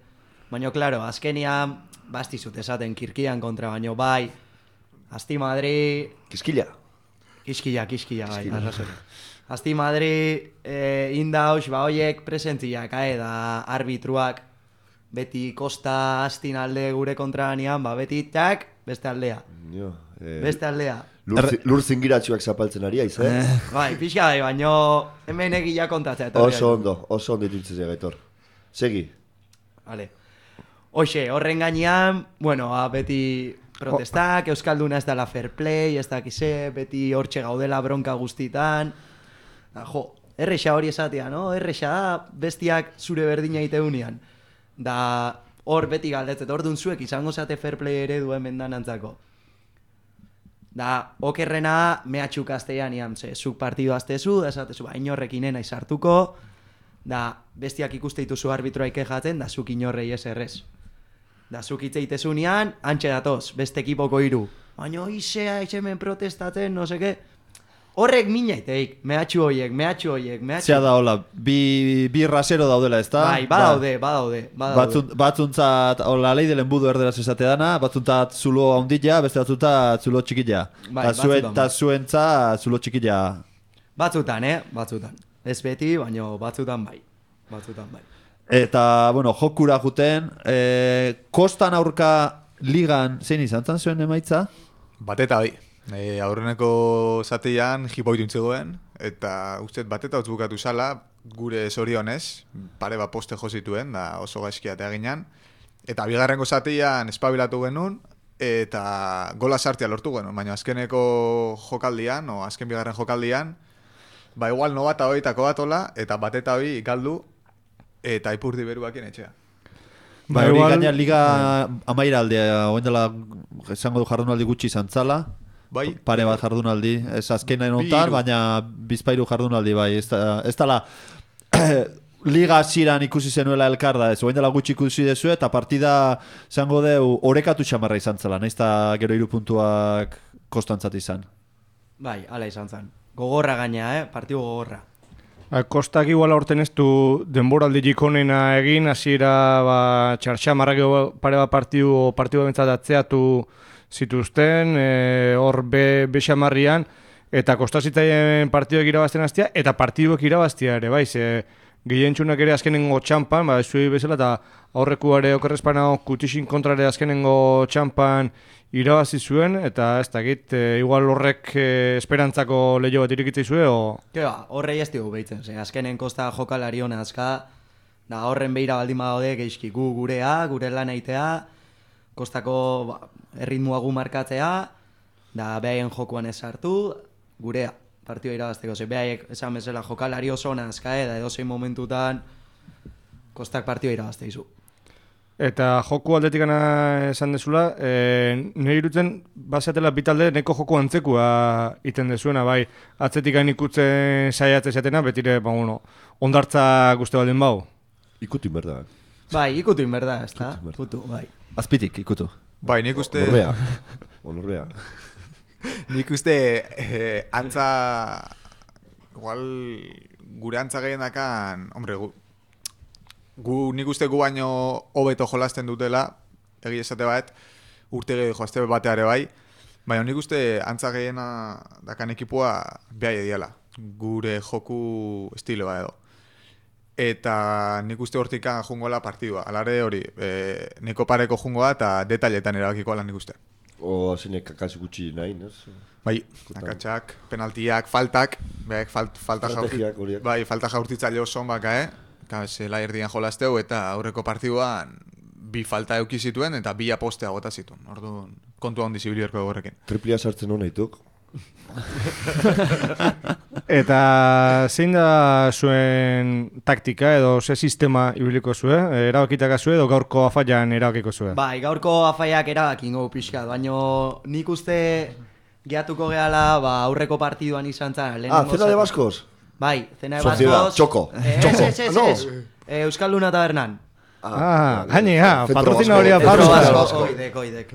[SPEAKER 5] Baina, klaro, azkenian, bastizut esaten kirkian kontra, baina bai, Asti Madri...
[SPEAKER 2] Kiskila,
[SPEAKER 5] bai, arrazoi. Asti Madri, indaus, ba hoiek presentziak, da arbitruak, beti kosta astin alde gure kontranian, ba beti tak, beste aldea. Beste aldea.
[SPEAKER 2] Lur zingiratxuak zapaltzen ari aiz,
[SPEAKER 5] Bai, pixka bai, baina hemen egia kontatzea.
[SPEAKER 2] Oso ondo ditutzen Gaitor. Segi.
[SPEAKER 5] Vale. Hoxe, horren gainean, bueno, beti protestak, Euskalduna ez dela fair play, ez dakize, beti hortxe gaudela bronka guztitan. Errexa hori esatea, no? Errexa da, bestiak zure berdina iteunian. Da, hor beti galdetzet, hor zuek izango zate fair play ere duen bendanantzako. Da, okerrena mehatxuk aztean iam, zuk partidu aztezu, da esatezu, inorrekin nena izartuko, da, bestiak ikuste dituzu arbitroa ikejatzen, da zuk inorrei ez errez. Da, zuk itzeitezunean, antxe datoz, beste ekipoko 3. Baina izea, hemen protestatzen, no seke. Horrek minaiteik, mehatxu hoiek.
[SPEAKER 3] Zea da, hola, bi rasero daudela, ez da?
[SPEAKER 5] Bai, badaude.
[SPEAKER 3] Batzuntzat, hola, lei delen budu erderaz esate dana, batzuntzat zulo haundila, beste batzuntzat zulo txikila.
[SPEAKER 5] Bai,
[SPEAKER 3] eta zuentzat zulo txikila.
[SPEAKER 5] Batzutan. Ez beti, baina batzutan bai.
[SPEAKER 3] Eta, bueno, jokura juten, kostan aurka ligan, zein izan zuen emaitza?
[SPEAKER 7] Bateta bai. Aurreneko zatean jipoitu intzegoen, eta ustez bateta utz bukatu zala, gure zorionez, pare bat poste jozituen, da oso gaizkia eta eginan. Eta bigarrengo zatean espabilatu genuen, eta gola sartia lortu genuen, baina azkeneko jokaldian, azken bigarren jokaldian, ba igual nobata hoitako batola, eta bateta hoi galdu, eta ipurdi beruakien etxea.
[SPEAKER 3] Ba, hori gaina liga amaira aldea, oen dela, esango du jardunaldi gutxi izan zala,
[SPEAKER 7] Bai.
[SPEAKER 3] Pare bat jardunaldi, ez azkenen ontan, baina bizpairu jardunaldi bai. Ez dala liga hasieran ikusi zenuela elkar da, ez oain dela gutxi ikusi dezu eta partida zango deu orekatu xamarra izan zela, nahiz eta gero 3 puntuak kostantzat izan.
[SPEAKER 5] Bai, hala izan zen. Gogorra gaina, partidu gogorra.
[SPEAKER 1] Kostak igual aurten ez du denboraldi jikonena egin, hasiera txartxamarrak pare bat partidu bentsat atzeatu zituzten, hor bexamarrian, eta kostazitaien partiduak irabazten hastia, eta partiduak irabaztia ere, bai, ze gehientxunak ere azkenengo txampan, zuei bezala, eta aurrekuare okerrezpanao Kutixin kontrare azkenengo txampan irabazi zuen, eta ez dakit, igual horrek esperantzako lehio bat irikitzei zuen, o...
[SPEAKER 5] Keba, horrei ez dugu behitzen, azkenen kosta jokalari hona azka, da horren behira baldin badaude geizki gurea, gure lan eitea, kostako erritmua gu markatzea, da behaien jokuan ez hartu, gurea, partioa irabazteko, behaiek esan bezala jokalari oso hona azka, da edozein momentutan kostak partioa irabazte izu.
[SPEAKER 1] Eta joku aldetikana esan dezula, nire irutzen bazeatela bitalde neko joku antzekua iten dezuena, bai, atzetikan ikutzen saiatzen zatena, betire, ondartza guzti baldin bau.
[SPEAKER 2] Ikutu inberda.
[SPEAKER 5] Bai, ikutu inberda, ez da? Ikutu, bai.
[SPEAKER 3] Azpitik, ikutu.
[SPEAKER 7] Bai, nik uste...
[SPEAKER 2] Honorea.
[SPEAKER 7] Nik uste antza... Igual gure antza gehienakan... Hombre, nik uste gu baino hobeto jolasten dutela, egi esate bat, urte gehi joazte bateare bai, baina nik uste antza gehiena dakan ekipua behai ediala, gure joku estiloa edo. Eta nik uste hortikan jungola partidua, alare hori, neko pareko jungoa eta detailetan erabakikoa lan nik uste.
[SPEAKER 2] O zeinek kakaz gutxi nahi, nez?
[SPEAKER 7] Bai, akatsak, penaltiak, faltak, falta jaurtitzaile oso baka, zela erdian jolazteu eta aurreko partiduan bi falta euki zituen eta bi apostea gota zituen. Orduan, kontu handi zibilierko egorrekin.
[SPEAKER 2] Triplia sartzen hona ituk.
[SPEAKER 1] Eta zein da zuen taktika edo ze sistema ibiliko zue? Erabakitaka zue edo gaurko afaian erabakiko zue?
[SPEAKER 5] Bai, gaurko afaiak erabakingo pixka, baina nik uste gehatuko gehala aurreko partiduan izan zen.
[SPEAKER 2] Zena de Baskos?
[SPEAKER 5] Bai, zena de
[SPEAKER 2] Sociedad,
[SPEAKER 5] Baskos.
[SPEAKER 2] Txoko.
[SPEAKER 5] Ez. Euskalduna Tabernan.
[SPEAKER 1] Patrocina hori
[SPEAKER 5] Oidek.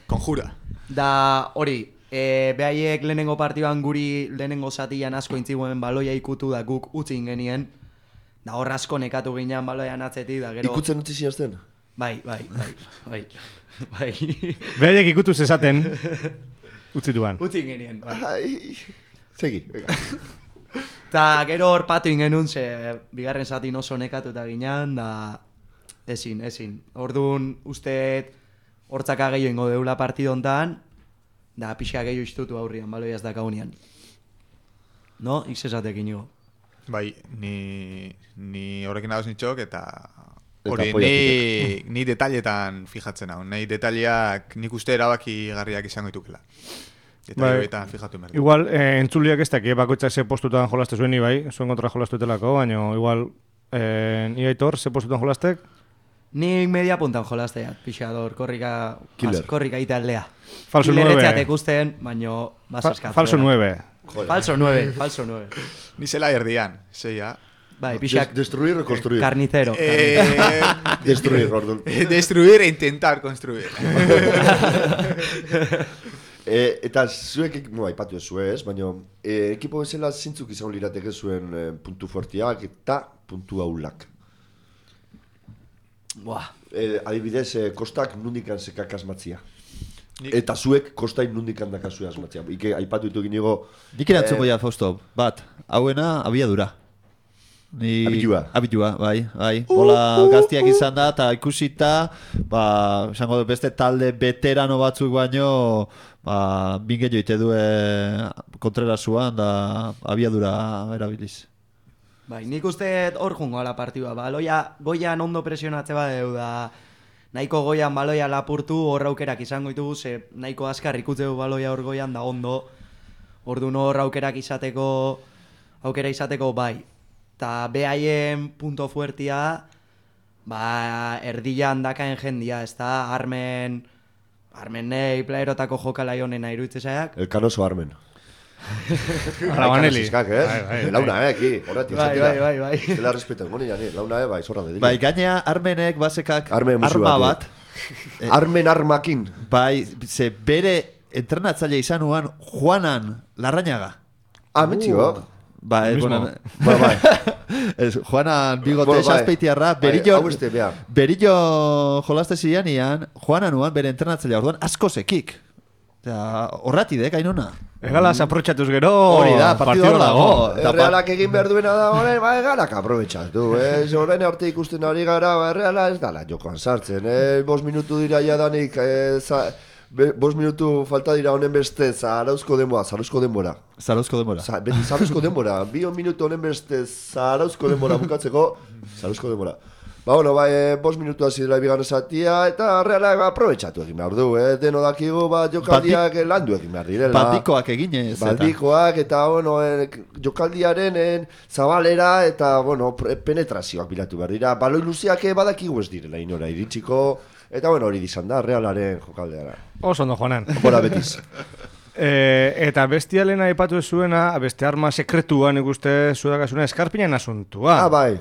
[SPEAKER 7] Konjura.
[SPEAKER 5] Da, hori, behaiek lehenengo partiduan guri lehenengo zatian asko intziguen baloia ikutu da guk utzin genien. Da hor asko nekatu ginean baloian atzetik da gero...
[SPEAKER 2] Ikutzen utzi ziazten?
[SPEAKER 5] Bai.
[SPEAKER 1] Behaiek ikutu zezaten utzituan.
[SPEAKER 5] Utzin genien, bai.
[SPEAKER 2] Segi, venga.
[SPEAKER 5] Ta gero hor patu ingenun, ze bigarren zatin oso nekatuta ginean, da ezin. Orduan usteet hortzaka gehiago ingo deula partidontan, da pixka gehiago istutu aurrian, baloiaz dakaunean. No? Iksesatek inigo.
[SPEAKER 7] Bai, ni horrekin dagoz nitxok eta hori ni detailetan fijatzen hau. Nahi detaileak nik uste erabaki garriak izango ditukela. Eta fijatu merda.
[SPEAKER 1] Igual, entzuliak ez daki, bakoitzak ze postutan jolaste zuen bai, zuen kontra jolastu etelako, baina igual, ni Aitor, ze postutan jolastek?
[SPEAKER 5] Nik media puntan jolasteat, pixador, korrika italdea.
[SPEAKER 1] Falso 9.
[SPEAKER 5] Kileretzeat ikusten, baina basaskatzea.
[SPEAKER 1] Falso 9.
[SPEAKER 5] Falso 9.
[SPEAKER 7] Ni zela erdian, zeia.
[SPEAKER 5] Bai, pixak...
[SPEAKER 2] Destruir o construir?
[SPEAKER 5] Carnicero.
[SPEAKER 2] Destruir, Gordon.
[SPEAKER 7] Destruir e intentar construir.
[SPEAKER 2] Eta zuek, aipatu ez zuez, baina ekipo bezala zintzuk izan lirateke zuen puntu fuertiak eta puntu aulak. Adibidez, kostak nundikan sekak asmatzia. Eta zuek kostain nundikan dakazue asmatzia. Ike aipatu ditu ginigo...
[SPEAKER 3] Nik erantzungo ja, Fausto, bat, hauena abiadura. Abitua, bai. Bola gaztiak izan da, eta ikusita, esango du beste talde veterano batzuk baino, binge joite du kontrerasuan, da abiadura erabiliz.
[SPEAKER 5] Bai, nik uste hor jungo ala partidua, goian ondo presionatze badeu da, nahiko goian baloia lapurtu, hor aukerak izango ditugu, ze nahiko azkar ikutzeu baloia hor goian da ondo, orduan hor aukera izateko bai. Ta behaien punto fuertia, erdian dakaen jendia, ez da, armen Armenei playerotako jokalai honena iruditzen zaiak.
[SPEAKER 2] El Canoso Armen.
[SPEAKER 1] Arabaneli.
[SPEAKER 2] Launa, aquí. Horretik
[SPEAKER 5] Bai.
[SPEAKER 2] Zela respetan, goni jani. Launa, bai, zorra dedile.
[SPEAKER 3] Bai, gainea Armenek basekak
[SPEAKER 2] Armen musu
[SPEAKER 3] arma
[SPEAKER 2] bat,
[SPEAKER 3] bat.
[SPEAKER 2] Armen armakin.
[SPEAKER 3] Bai, ze bere entrenatzaile izanuan Juanan Larrañaga.
[SPEAKER 2] Metxiok.
[SPEAKER 3] Bai,
[SPEAKER 1] Mismo.
[SPEAKER 3] bueno,
[SPEAKER 2] Bai.
[SPEAKER 3] ez, Juanan bigote
[SPEAKER 2] Bai.
[SPEAKER 3] xaspeitiarra,
[SPEAKER 2] Bai,
[SPEAKER 3] berillo,
[SPEAKER 2] hau este, bea.
[SPEAKER 3] berillo jolaste zianian, Juananuan bere entrenatzailea orduan asko zekik. Horratidek, ainona.
[SPEAKER 1] Egalaz aprotxatuz gero...
[SPEAKER 3] Hori da, partido hor dago.
[SPEAKER 2] Realak egin behar duena da horren, ba, egalak aprobetxatu, horren arte ikusten ari gara, ba, Reala ez dala jokoan sartzen, 5 minutu dira jadanik, 5 minutu falta dira honen beste, zarauzko denbora.
[SPEAKER 3] Zarauzko denbora.
[SPEAKER 2] Beti zarauzko denbora, 2 minutu honen beste, zarauzko denbora bukatzeko, zarauzko denbora. Ba, bueno, 5 minutu hasi dela bigarren zatia, eta Realak aprobetxatu egin behar du, deno dakigu, jokaldiak landu egin behar direla.
[SPEAKER 3] Baldikoak eginez.
[SPEAKER 2] Baldikoak eta, bueno, jokaldiaren zabalera eta, bueno, penetrazioak bilatu behar dira. Baloi luziak badakigu ez direla inora iritsiko, eta, bueno, hori dizan da, Realaren jokaldeara.
[SPEAKER 1] Oso ondo, Juanan.
[SPEAKER 2] Bora betiz.
[SPEAKER 1] Eta bestialena aipatu ez zuena, beste arma sekretuan ikuste zuedakasuna eskarpinan asuntua.
[SPEAKER 2] Bai.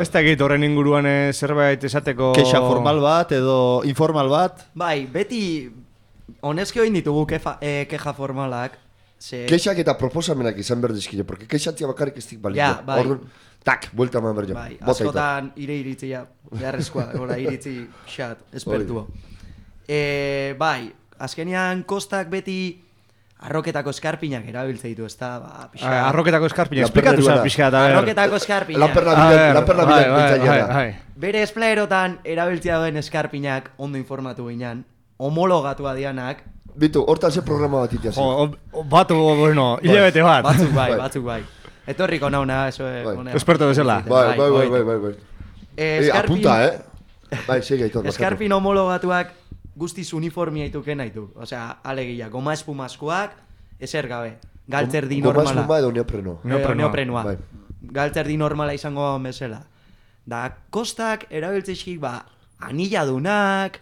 [SPEAKER 1] Ez da egit horren inguruan zerbait esateko...
[SPEAKER 3] Kexa formal bat edo informal bat.
[SPEAKER 5] Bai, beti honezki hoin ditugu keja formalak.
[SPEAKER 2] Kexak eta proposamenak izan behar dizkide, porque kexatzia bakarrik ez dik balio.
[SPEAKER 5] Ja, bai.
[SPEAKER 2] Orduan, tak, buelta eman behar jo.
[SPEAKER 5] Bai, askotan iritzia, beharrezkoa, gora iritzi xat, espertua. Bai, azkenean kostak beti arroketako eskarpinak erabiltze ditu, ez da, pixka...
[SPEAKER 1] Arroketako eskarpinak, esplikatu zan pixka eta...
[SPEAKER 5] Arroketako eskarpinak.
[SPEAKER 2] Lanperna bilatzen.
[SPEAKER 5] Bere esplayerotan erabiltzea duen eskarpinak ondo informatu ginean, homologatua dianak...
[SPEAKER 2] Bitu, hortan ze programa bat itia zen.
[SPEAKER 1] Batu, bueno, hilabete bat.
[SPEAKER 5] Batzuk bai. Etorriko nauna, eso...
[SPEAKER 1] Experto bezala.
[SPEAKER 2] Bai. Apunta, Bai, segi aitor.
[SPEAKER 5] Eskarpin homologatuak guztiz uniformia ituken nahitu. Osea, alegia, goma espumazkoak, ezer gabe. Galtzerdi normala.
[SPEAKER 2] Goma espuma edo neopreno.
[SPEAKER 5] Neoprenoa.
[SPEAKER 2] Bai.
[SPEAKER 5] Galtzerdi normala izango bezala. Da, kostak erabiltzezkik, anilladunak,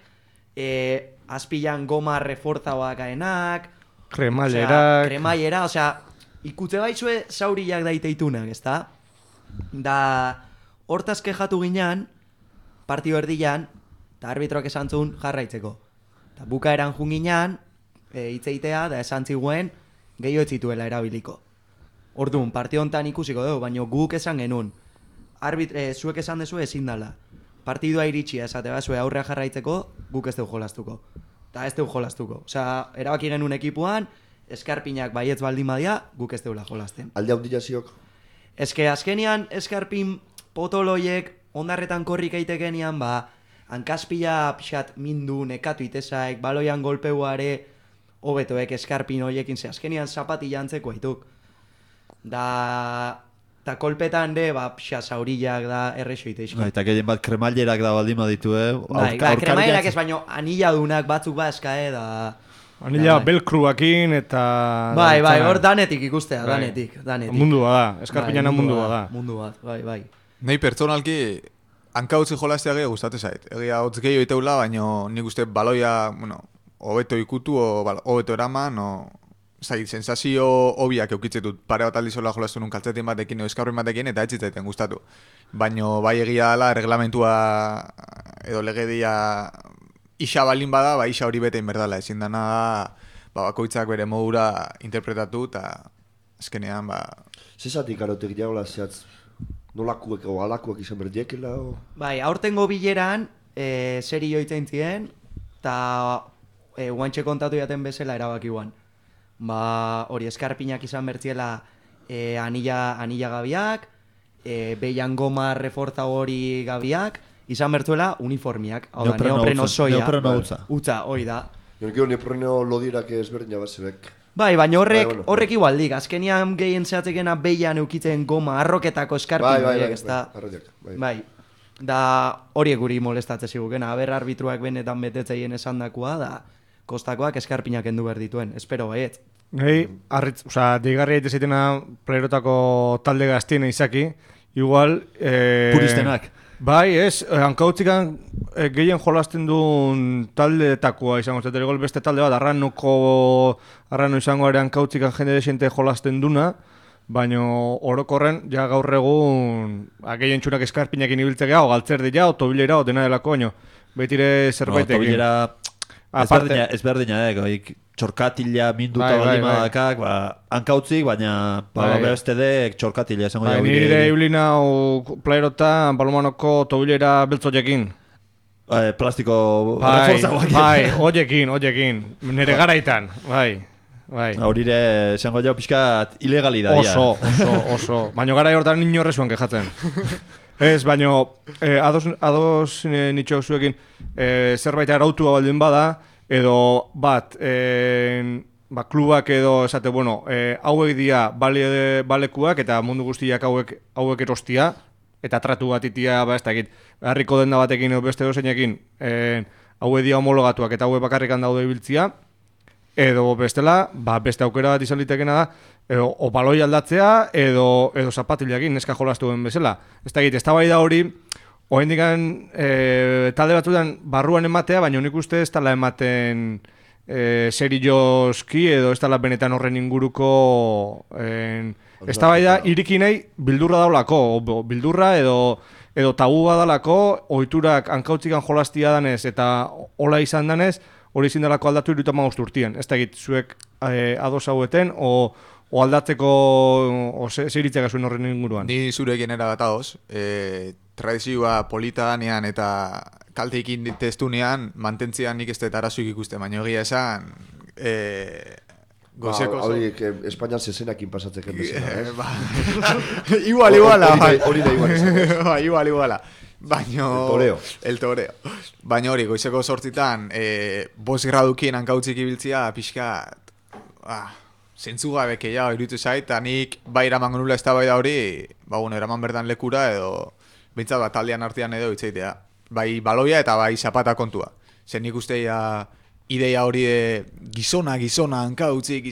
[SPEAKER 5] azpilan goma reforzaoak aenak,
[SPEAKER 1] kremailera,
[SPEAKER 5] osea, ikutze baizue zauriak daiteitunak, ezta? Da, hortaz kejatu ginean, partio erdian, eta arbitroak esan zuen jarraitzeko. Eta bukaeran junginan, hitzeitea, da esan ziguen, gehiago ez zituela erabiliko. Orduan, partio honetan ikusiko dugu, baina guk esan genuen. Zuek esan dezu ezin dala. Partidua iritsia esate bazue aurrea jarraitzeko, guk ez dugu jolastuko. Eta ez dugu jolastuko. Osea, erabaki genuen ekipuan, eskarpinak baietz baldin badia, guk ez dugula jolasten.
[SPEAKER 2] Alde hau ziok?
[SPEAKER 5] Eske azkenian eskarpin potoloiek ondarretan korrik eitekenian, hankazpila pixat mindu, nekatu itezaek, baloian golpeuare, hobetoek eskarpin horiekin, ze azkenian zapati jantzeko haituk. Da kolpetan de, pixat zaurillak da errexo iteizko.
[SPEAKER 3] Eta gehien bat kremailerak da baldin baditu,
[SPEAKER 5] kremailerak ez, baino anilladunak batzuk eskae, da...
[SPEAKER 1] Anilla belkruakin eta...
[SPEAKER 5] Bai, hor danetik ikustea, danetik.
[SPEAKER 1] Mundua da, eskarpinana mundua da.
[SPEAKER 5] Mundu bat, bai.
[SPEAKER 7] Nei pertsonalki... Hanka utzi jolaztea gehiago gustate zait. Egia hotz gehiago iteula, baina nik uste baloia, hobeto ikutu, hobeto eraman, sensazio hobiak eukitzetut pare bat aldizola jolaztu nun kaltzetin batekin, eskarpin batekin, eta etxitzaiten gustatu. Baina bai egia dela, reglamentua edo legedia isa balin bada, isa hori bete inberdala. Ezin dana bakoitzak bere modura interpretatu, eta azkenean,
[SPEAKER 2] Zezatik arotek diagola zehatz? Nolakuek o alakuek izan berdiekela?
[SPEAKER 5] Bai, aurtengo bileran seri joitzen ziren, eta guantxe kontatu jaten bezala erabaki guan. Hori eskarpinak izan bertziela anilla gabiak, behian goma reforza hori gabiak, izan bertzuela uniformiak. Hau da, neopreno soia.
[SPEAKER 3] Neopreno
[SPEAKER 5] utza, hori da.
[SPEAKER 2] Gero neopreno lodirak ezberdin jabazebek.
[SPEAKER 5] Bai, baina horrek igualdik, azkenian gehien zehatzekena behian eukitzen goma arroketako eskarpin horiek, ez da? Bai, da horiek guri molestatzen zigukena, aber arbitruak benetan betetzeien esandakoa, da kostakoak eskarpinak endu behar dituen, espero baiet.
[SPEAKER 1] Deigarria daitezeitena playerotako talde gaztiena izaki, igual...
[SPEAKER 3] Puristenak.
[SPEAKER 1] Bai, ez, hankautzikan gehien jolasten duen taldeetakoa izango zetero gol beste talde bat, arrano izango ere hankautzikan jende desente jolasten duna, baina orokorren, ja gaur egun, gehien txunak eskarpinekin ibiltzea, o galtzerdila, o tobilera, o dena delako, baina betire zerbaitekin.
[SPEAKER 3] Tobilera ezberdina, txorkatila minduta balimadakak, hankautzik, baina beste dek txorkatila esango
[SPEAKER 1] jago. Nire iulina playerotan balomanoko tobilera beltzoiekin.
[SPEAKER 3] Plastiko
[SPEAKER 1] reforzagoak. Bai, oiekin, nire garaitan, bai.
[SPEAKER 3] Horire, esango jau pixkat ilegalidadia.
[SPEAKER 1] Oso. Baina gara hortan inorrezuan kejatzen. Ez, baina ados nitxo zuekin zerbait arautua baldin bada, edo bat, klubak edo esate, hauek dira balekuak eta mundu guztiak hauek erostia, eta tratu bat itia, ez dakit, harriko denda batekin edo beste dozeinekin, hauek dira homologatuak eta hauek bakarrikan daude ibiltzia, edo bestela, beste aukera bat izan litekena da, o baloi aldatzea, edo zapatileakin neska jolastu den bezala. Ez dakit, ez da hori, oendikan talde batzutan barruan ematea, baina nik uste ez dala ematen serioski, edo ez dala benetan horren inguruko ez da iriki nahi bildurra daulako, bildurra edo tabua dalako, ohiturak hankautzikan jolastia danez eta hola izan danez, hori zindalako aldatu 35 urtien. Ez da egit, zuek ados haueten, o aldatzeko zeiritzea zuen horren inguruan.
[SPEAKER 7] Ni zurekin erabat ados. Tradizioa polita danean eta kalteikin testunean, mantentzean nik ez dut arazoik ikuste, baina egia esan...
[SPEAKER 2] Horiek Espainian zezenakin pasatzeken bezala,
[SPEAKER 7] Iguala.
[SPEAKER 2] Hori da igual.
[SPEAKER 7] Iguala. El toreo. Baina hori, goizeko 8 5 gradukien hankautzik ibiltzia, pixkat... Zentzugabeke iruditu zait, eta nik bai eraman gonula ez da bai da hori, eraman berdan lekura edo... Bintzat bat taldean artean edo itzaitea. Bai baloia eta bai zapata kontua. Zer nik uste ideia hori de gizona hankautzik,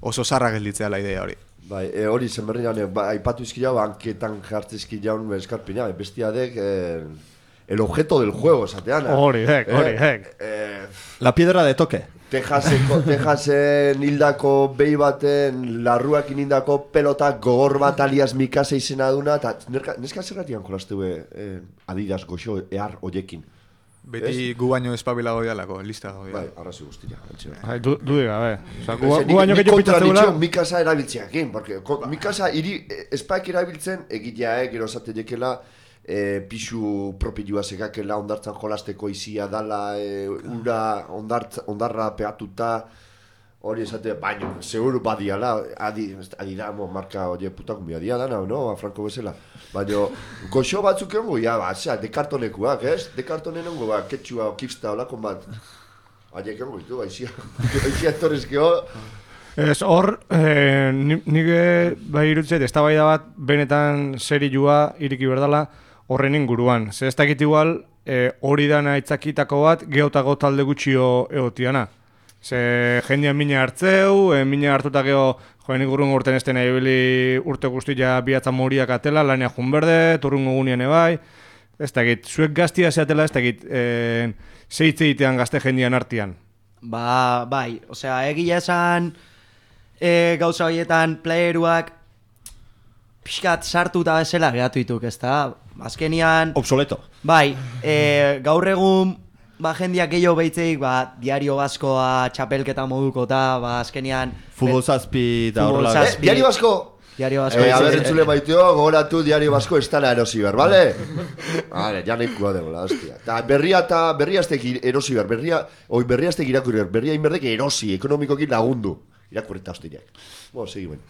[SPEAKER 7] oso zarra gelditzea la idea hori.
[SPEAKER 2] Bai, hori zenberrian, aipatu izki jau, hanketan jartze izki jaun eskarpina, bestia dek, el objeto del juego, esatean.
[SPEAKER 1] Hori hek.
[SPEAKER 3] La piedra de toque.
[SPEAKER 2] Tejasen hildako behi baten, larruakin hildako pelota gogor bat alias Mikasa izena duna, eta neska zerratian jolastu Adidas goxo ehar oiekin.
[SPEAKER 7] Beti gu baino espabilago dialako, lista gau
[SPEAKER 2] Bai, arrazi guztia.
[SPEAKER 1] Du diga, gu baino gehiago pitzatzen gula.
[SPEAKER 2] Mikasa erabiltzeakin, porque Mikasa espaik erabiltzen, egitea, gero esate jekela, pixu propilua segakela ondartzan jolasteko izia dala, ondarra pegatuta, hori esate, baino, seguru badiala, adi da, marka hori putakumbia dia dana, no, Franco bezala. Baina, goxo batzuk egongo, dekartonekuak, ez? Dekartonen egongo, ketxua, kipsta, olakon bat. Haiek egongo ditu, aixia etorrezkeo.
[SPEAKER 1] Ez hor, nire bai irutzet, ez da bai da bat, benetan serioa iriki berdala horren inguruan. Zer ez dakit igual, hori dana itzakitako bat, geotago talde gutxio egotiana. Ze jendean mina hartzeu, mina hartuta geho, joen igurrun urten ez dena ibili urte guztia bihatza moriak atela, lanea junberde, turrungo gunean ebai. Ez dakit, zuek gaztia zeatela ez dakit, zeitze itean gazte jendean artean.
[SPEAKER 5] Bai, osea, egia esan gauza horietan playeruak pixkat sartuta bezala gehatu dituk, ez da? Azkenian...
[SPEAKER 3] Obsoleto.
[SPEAKER 5] Bai, gaur egun jendiak gehiago behitzeik, diario baskoa, txapelketa moduko eta, azkenian...
[SPEAKER 3] Futbol zazpi da horrela.
[SPEAKER 2] Diario basko!
[SPEAKER 5] Diario basko.
[SPEAKER 2] A ver, entzule baiteo, gogoratu diario basko ez tala erosi ber, bale? Vale, ja nekua degola, hostia. Ta berria aztek erosi ber, berria aztek irakurri ber, berria inberdek erosi, ekonomikokin lagundu. Irakurreta hostiriak. Segi ben.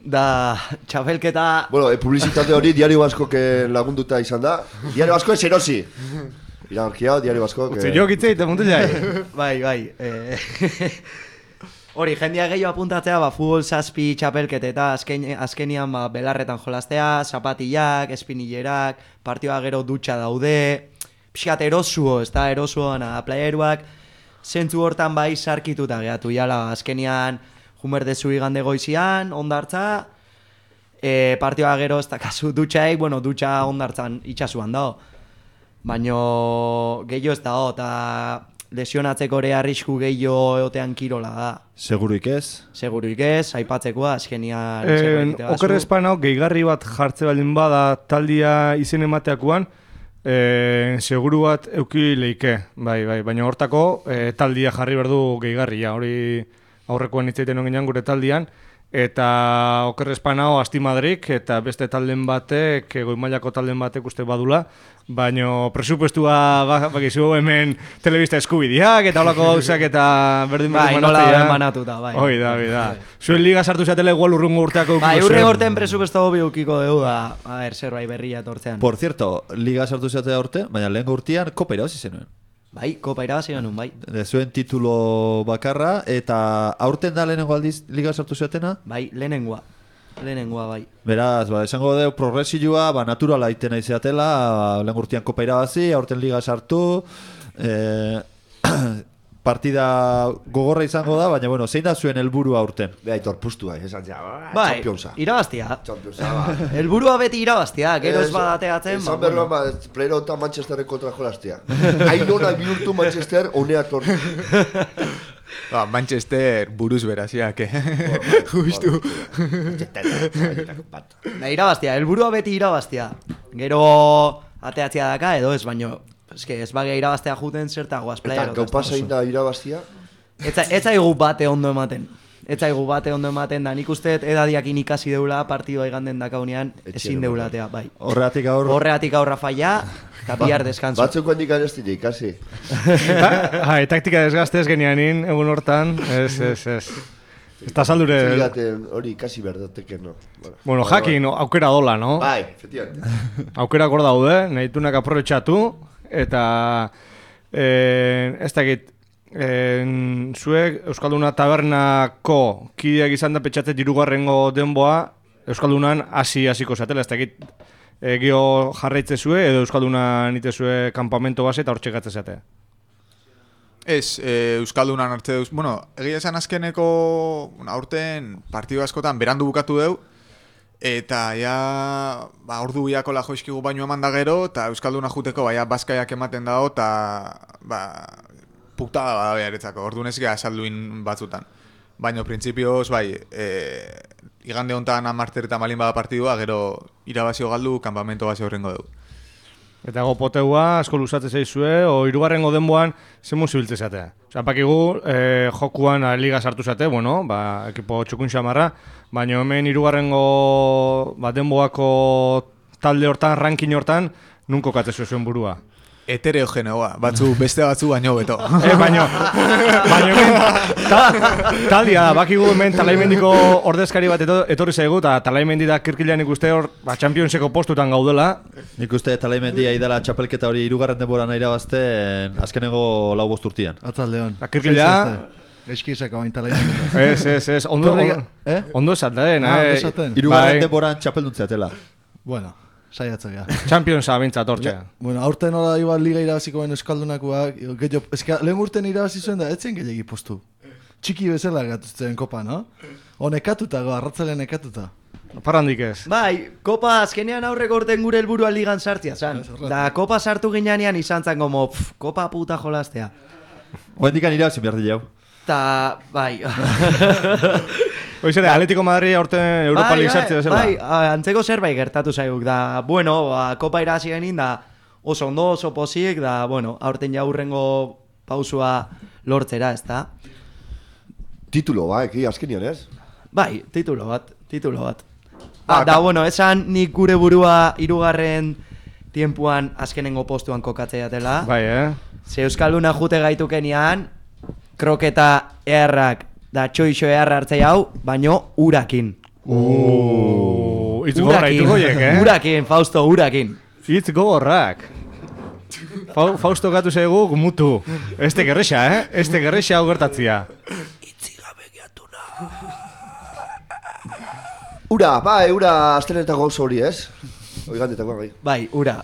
[SPEAKER 5] Da, txapelketa...
[SPEAKER 2] Publizitate hori diario baskok lagunduta izan da. Diario basko ez erosi. Iragarkia, diario baskok...
[SPEAKER 1] Utsi jo gitzeit, mundu jai.
[SPEAKER 5] Bai. Hori, jendia gehiago apuntatzea, futbol zazpi txapelkete eta azkenian belarretan jolastea, zapatillak, espinillerak, partioa gero dutxa daude, pixkat erosuo, ez da, erosuoan playeruak, zentzu hortan bai sarkituta gehatu jala, azkenian jumerdezu igande goizian, ondartza, partioa gero ez dakazu dutxaik, bueno, dutxa ondartzan itxasuan dago. Baino gehiago ez dago, eta lesionatzeko ere arrisku gehiago egotean kirola da.
[SPEAKER 3] Seguruik ez?
[SPEAKER 5] Seguruik ez, aipatzekoa, azkenian...
[SPEAKER 1] Oker espanau, gehigarri bat jartze baldin bada taldia izen emateakoan, seguru bat euki leike, bai, baina hortako taldia jarri berdu gehigarria, hori aurrekoan hitzaiten ongenean gure taldian, eta oker espanau Asti Madrik eta beste talden batek, goimailako talden batek uste badula, baina presupuestua bakizu hemen telebista eskubideak eta holako gauzak eta berdin
[SPEAKER 5] banatuta, bai.
[SPEAKER 1] Hoi da. Zuen liga sartu zatela igual urrungo urteako
[SPEAKER 5] bai, urre urtean presupuesto hobi ukiko dugu da, zerbait berria etortzean.
[SPEAKER 3] Por cierto, liga sartu zatea urte, baina lehen urtean kopa irabazi zenuen.
[SPEAKER 5] Bai, kopa irabazi genuen, bai.
[SPEAKER 3] Zuen titulo bakarra, eta aurten da lehenengo aldiz liga sartu zatena?
[SPEAKER 5] Bai, lehenengoa, bai.
[SPEAKER 3] Beraz, esango deu progresioa, naturala itena izateela, lehen urtean kopa irabazi, aurten liga sartu, partida gogorra izango da, baina bueno, zein da zuen helburua aurten?
[SPEAKER 2] Beha, itorpuztua, esan ja,
[SPEAKER 5] championsa. Irabaztia. Helburua beti irabaztia, gero ez badateatzen.
[SPEAKER 2] Esan berroa, playera eta Manchesterren kontra jolaztia. Ainona bihurtu Manchester, honea tortu.
[SPEAKER 7] Manchester buruz beraziak, justu.
[SPEAKER 5] Irabaztia, helburua beti irabaztia. Gero ateatzea daka edo ez, baino ez bagia irabaztea juten zertagoaz player.
[SPEAKER 2] Eta gaupa zein da irabaztia?
[SPEAKER 5] Ez zaigu bate ondo ematen. Da nik uste edadiakin ikasi deula partidua iganden dakaunean ezin deulatea, bai.
[SPEAKER 3] Horreatik
[SPEAKER 5] aurra falla, eta bihar deskanso.
[SPEAKER 2] Batzuk handik anestile ikasi.
[SPEAKER 1] Taktika desgaztez genianin, egun hortan, ez. Eta saldure...
[SPEAKER 2] Hori ikasi berdateke, no?
[SPEAKER 1] Bueno, jakin, aukera dola, no?
[SPEAKER 2] Bai, efectivamente.
[SPEAKER 1] Aukera gor daude, nahitunak aprobetxatu, eta ez dakit, zuek Euskalduna tabernako kideak izan da petxatzet hirugarrengo denboa Euskaldunan hasiko zatela, ez dakit gio jarraitze zue edo Euskalduna nite zue kampamento base eta hortxe gatze zatea.
[SPEAKER 7] Ez, Euskaldunan hartze duz, bueno, egia esan azkeneko aurten partidu askotan berandu bukatu deu, eta ja, ordu biako la joizkigu baino eman da gero, eta Euskalduna juteko, bazkaiak ematen dago, eta, puktada bada beharetzako, ordu nezkea esalduin batzutan. Baina, printzipioz, igande hontan amarter eta malin bada partidua, gero irabazio galdu, kanpamento base horrengo dugu.
[SPEAKER 1] Eta gopoteua, asko luzatze zaizue, o hirugarrengo denboan, zen muzibiltze zatea. Osa, pakigu, jokuan liga sartu zate, bueno, ekipo txukun xamarra, baina hemen hirugarrengo denboako talde hortan, ranking hortan, nun kokatze zuen burua?
[SPEAKER 7] Heterogeneoa, beste batzu baino beto.
[SPEAKER 1] Baino hemen, taldia da, bakigu hemen Talaimendiko ordezkari bat etorri zaigu, eta Talaimendi da kirkilean ikuste hor, Championseko postutan gaudela.
[SPEAKER 3] Nik uste Talaimendia idala txapelketa hori hirugarren denboran irabazten azkeneko 5 urtean.
[SPEAKER 8] Atzaldeon.
[SPEAKER 1] Kirkilea...
[SPEAKER 8] Eskizako bain Talaimendia.
[SPEAKER 1] Ez, ondo esaten.
[SPEAKER 3] Hirugarren denboran txapelduntzea
[SPEAKER 8] Bueno. Saiatzea.
[SPEAKER 1] Championsa bintzat hortxea.
[SPEAKER 8] Bueno, aurten hori igual liga irabaziko ben Euskaldunakoak, lehen urten irabazi zuen da, etzen gehiagi postu. Txiki bezala gatuzten kopa, no? Nekatuta, arratzalean nekatuta.
[SPEAKER 1] Parrandik ez.
[SPEAKER 5] Bai, kopa azkenean aurreko urten gure helburua ligan sartzia zan. Da, kopa sartu ginean izan zan gomo, kopa puta jolaztea.
[SPEAKER 3] Oendikan irabazin behar di jau.
[SPEAKER 5] Ta, bai...
[SPEAKER 1] Oizere, Atletico Madrid aurten Europa League sartze bezala.
[SPEAKER 5] Bai, antzeko zerbait gertatu zaiguk, da, bueno, kopa irazi genin, da, oso ondo, oso posik, da, bueno, aurten jaurrengo pausua lortzera, ez da?
[SPEAKER 2] Titulo, azkenian, ez?
[SPEAKER 5] Bai, titulo bat. Da, bueno, esan nik gure burua hirugarren tiempuan azkenengo postuan kokatzea dela.
[SPEAKER 1] Bai,
[SPEAKER 5] Ze Euskalduna jute gaitukenian, kroketa errak, da txoixo eharra hartzei hau, baino urakin.
[SPEAKER 1] Itz gorra itugoiek,
[SPEAKER 5] Urakin, Fausto, urakin.
[SPEAKER 1] Itz gogorrak. Fausto gatu zaigu mutu. Este gerrexa, Este gerrexa hau gertatzia.
[SPEAKER 5] Itzigabe geatuna.
[SPEAKER 2] Ura astelenetako gauza hori, ez? Oigandetako, bai.
[SPEAKER 5] Bai, ura.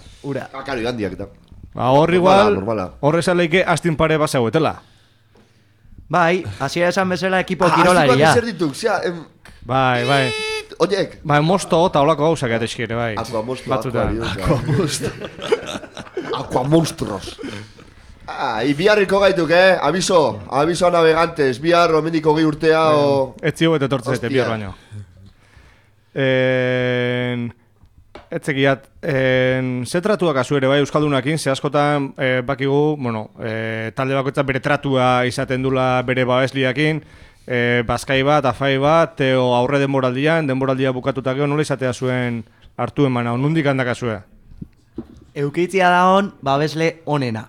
[SPEAKER 2] Karo, igandiak eta.
[SPEAKER 1] Hor igual, horrez aleike astin pare basauetela.
[SPEAKER 5] Bai, hasiera esan bezala ekipo kirolaria.
[SPEAKER 2] Zer dituk,
[SPEAKER 1] Bai.
[SPEAKER 2] Oiek.
[SPEAKER 1] Ba, mosto eta holako gauzak ateskire, bai.
[SPEAKER 2] Batzutan. Aquamonstros. Biharriko gaituk, Aviso a navegantes. Bihar omendiko 20 urtea o...
[SPEAKER 1] Ez zio bete tortzen zaite, bihar baino. Etzekiat, zetratuak azu ere, bai, Euskaldunakin, ze askotan bakigu, bueno, talde bakoitza bere tratua izaten dula bere babesliakin, bazkai bat, afai bat, o aurre denboraldia bukatuta gero, nola izatea zuen hartu emana, nondik handak azue?
[SPEAKER 5] Eukitzia da hon, babesle onena.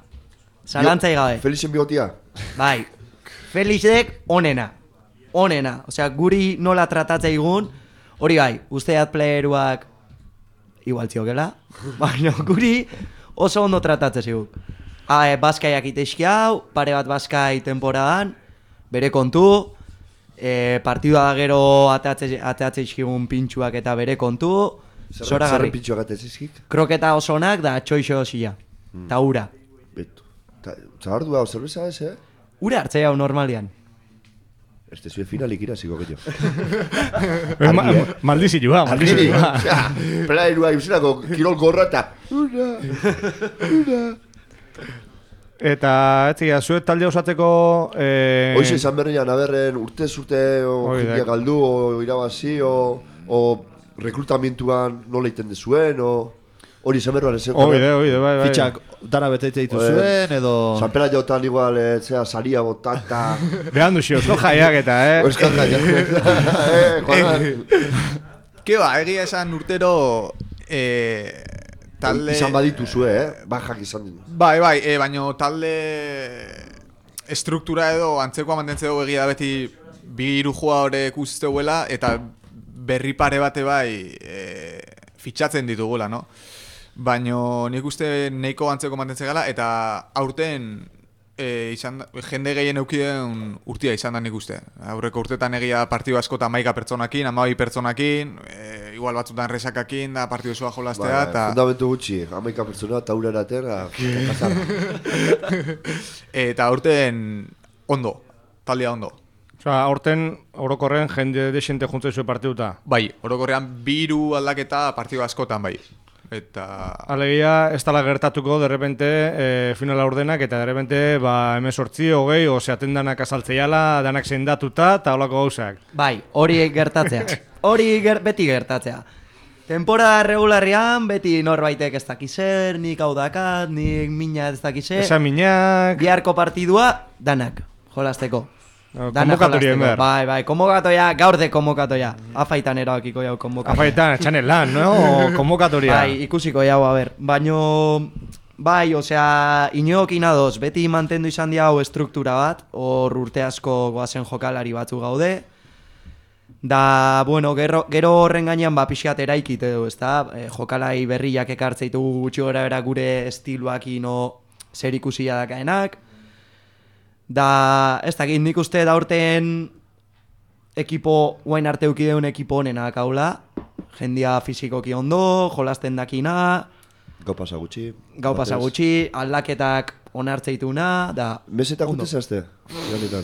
[SPEAKER 5] Zalantzai gabe.
[SPEAKER 2] Felixen bigotia.
[SPEAKER 5] Bai, Felixek onena. Osea, guri nola tratatzea igun, hori bai, usteat playeruak igual ziokela, baina guri oso ondo tratatzea zigun. Baskaiak iteski hau, pare bat baskai temporadan, bere kontu, partidua da gero ateatzea izkigun pintxuak eta bere kontu, zora garri.
[SPEAKER 2] Zer pintxuak ateatzea izkik?
[SPEAKER 5] Kroketa oso onak da txoixo osila, eta ura.
[SPEAKER 2] Betu. Zahardu hau, zerbeza ez,
[SPEAKER 5] Ura hartzea hau normalian.
[SPEAKER 2] Este zue finalik iraziko gehiago.
[SPEAKER 1] Maldizioa.
[SPEAKER 2] Plaerua izanako kirol gorra eta...
[SPEAKER 1] Eta, etzikia, zuet talde osatzeko...
[SPEAKER 2] Hoize izan berrian, aberren urte jendia galdu, o irabazi, o rekrutamentuan nola iten dezuen, o... Hori izan berruan ezen.
[SPEAKER 1] Oide, bai.
[SPEAKER 3] Fitxak dara beteite ditu zuen, edo...
[SPEAKER 2] Sanpera jotan igual, saria botata...
[SPEAKER 1] Behan duzio, osko jaiak eta,
[SPEAKER 2] Osko jaiak.
[SPEAKER 7] Keba, egia esan urtero... Talde...
[SPEAKER 2] Izan baditu zue, bajak izan ditu.
[SPEAKER 7] Bai, baina talde... Estruktura edo antzekoa mantentzea dugu egia da beti bi hiru jugadorek uzteuela eta berri pare bate bai fitxatzen ditugula, no? Baina nik uste nahiko antzeko mantentzen gala eta aurten jende gehien eukiden urtia izan da nik uste. Aurreko urtetan egia partidu asko eta 11 pertsonakin, 12 pertsonakin, igual batzutan resakakin da partidu zua jolaztea.
[SPEAKER 2] Fundamentu gutxi, 11 pertsona eta ura eraten,
[SPEAKER 7] eta aurten ondo, taldea ondo.
[SPEAKER 1] Osa, aurten orokorren jende desente juntzei zuen partiduta?
[SPEAKER 7] Bai, orokorrean 2 aldaketa partidu askotan bai. Eta...
[SPEAKER 1] Alegia, ez tala gertatuko, derrepente, finala ordenak, eta derrepente, 18, 20, oseaten danak azaltzeiala, danak zendatuta, eta holako gauzak.
[SPEAKER 5] Bai, hori gertatzea. Beti gertatzea. Temporada regularrean, beti norbaitek ez dakizer, nik hau dakat, nik mina ez dakizer.
[SPEAKER 1] Esa minak...
[SPEAKER 5] Biharko partidua, danak, jolasteko.
[SPEAKER 1] Konbokatoria enber.
[SPEAKER 5] Bai, konbokatoria, gaur de konbokatoria. Afaitan erabakiko jau konbokatoria.
[SPEAKER 1] Afaitan, txanen lan, no? Konbokatoria.
[SPEAKER 5] Bai, ikusiko jau, a ber. Baino, bai, osea, inoekin adoz, beti mantendu izan dia hau estruktura bat, hor urte asko goazen jokalari batzu gaude. Da, bueno, gero horren gainean pixkat eraikit edo, ezta? Jokalari berriak ekartzeitu gutxi gora gure estiloak ino zer ikusia dakaenak. Da, ez dakit, nik uste da urten ekipo, guain arte eukideun ekipo honenak haula. Jendia fizikoki ondo, jolasten dakina.
[SPEAKER 2] Gau pasa
[SPEAKER 5] gutxi, aldaketak onartzeituna, da...
[SPEAKER 2] Mesetak gute zazte?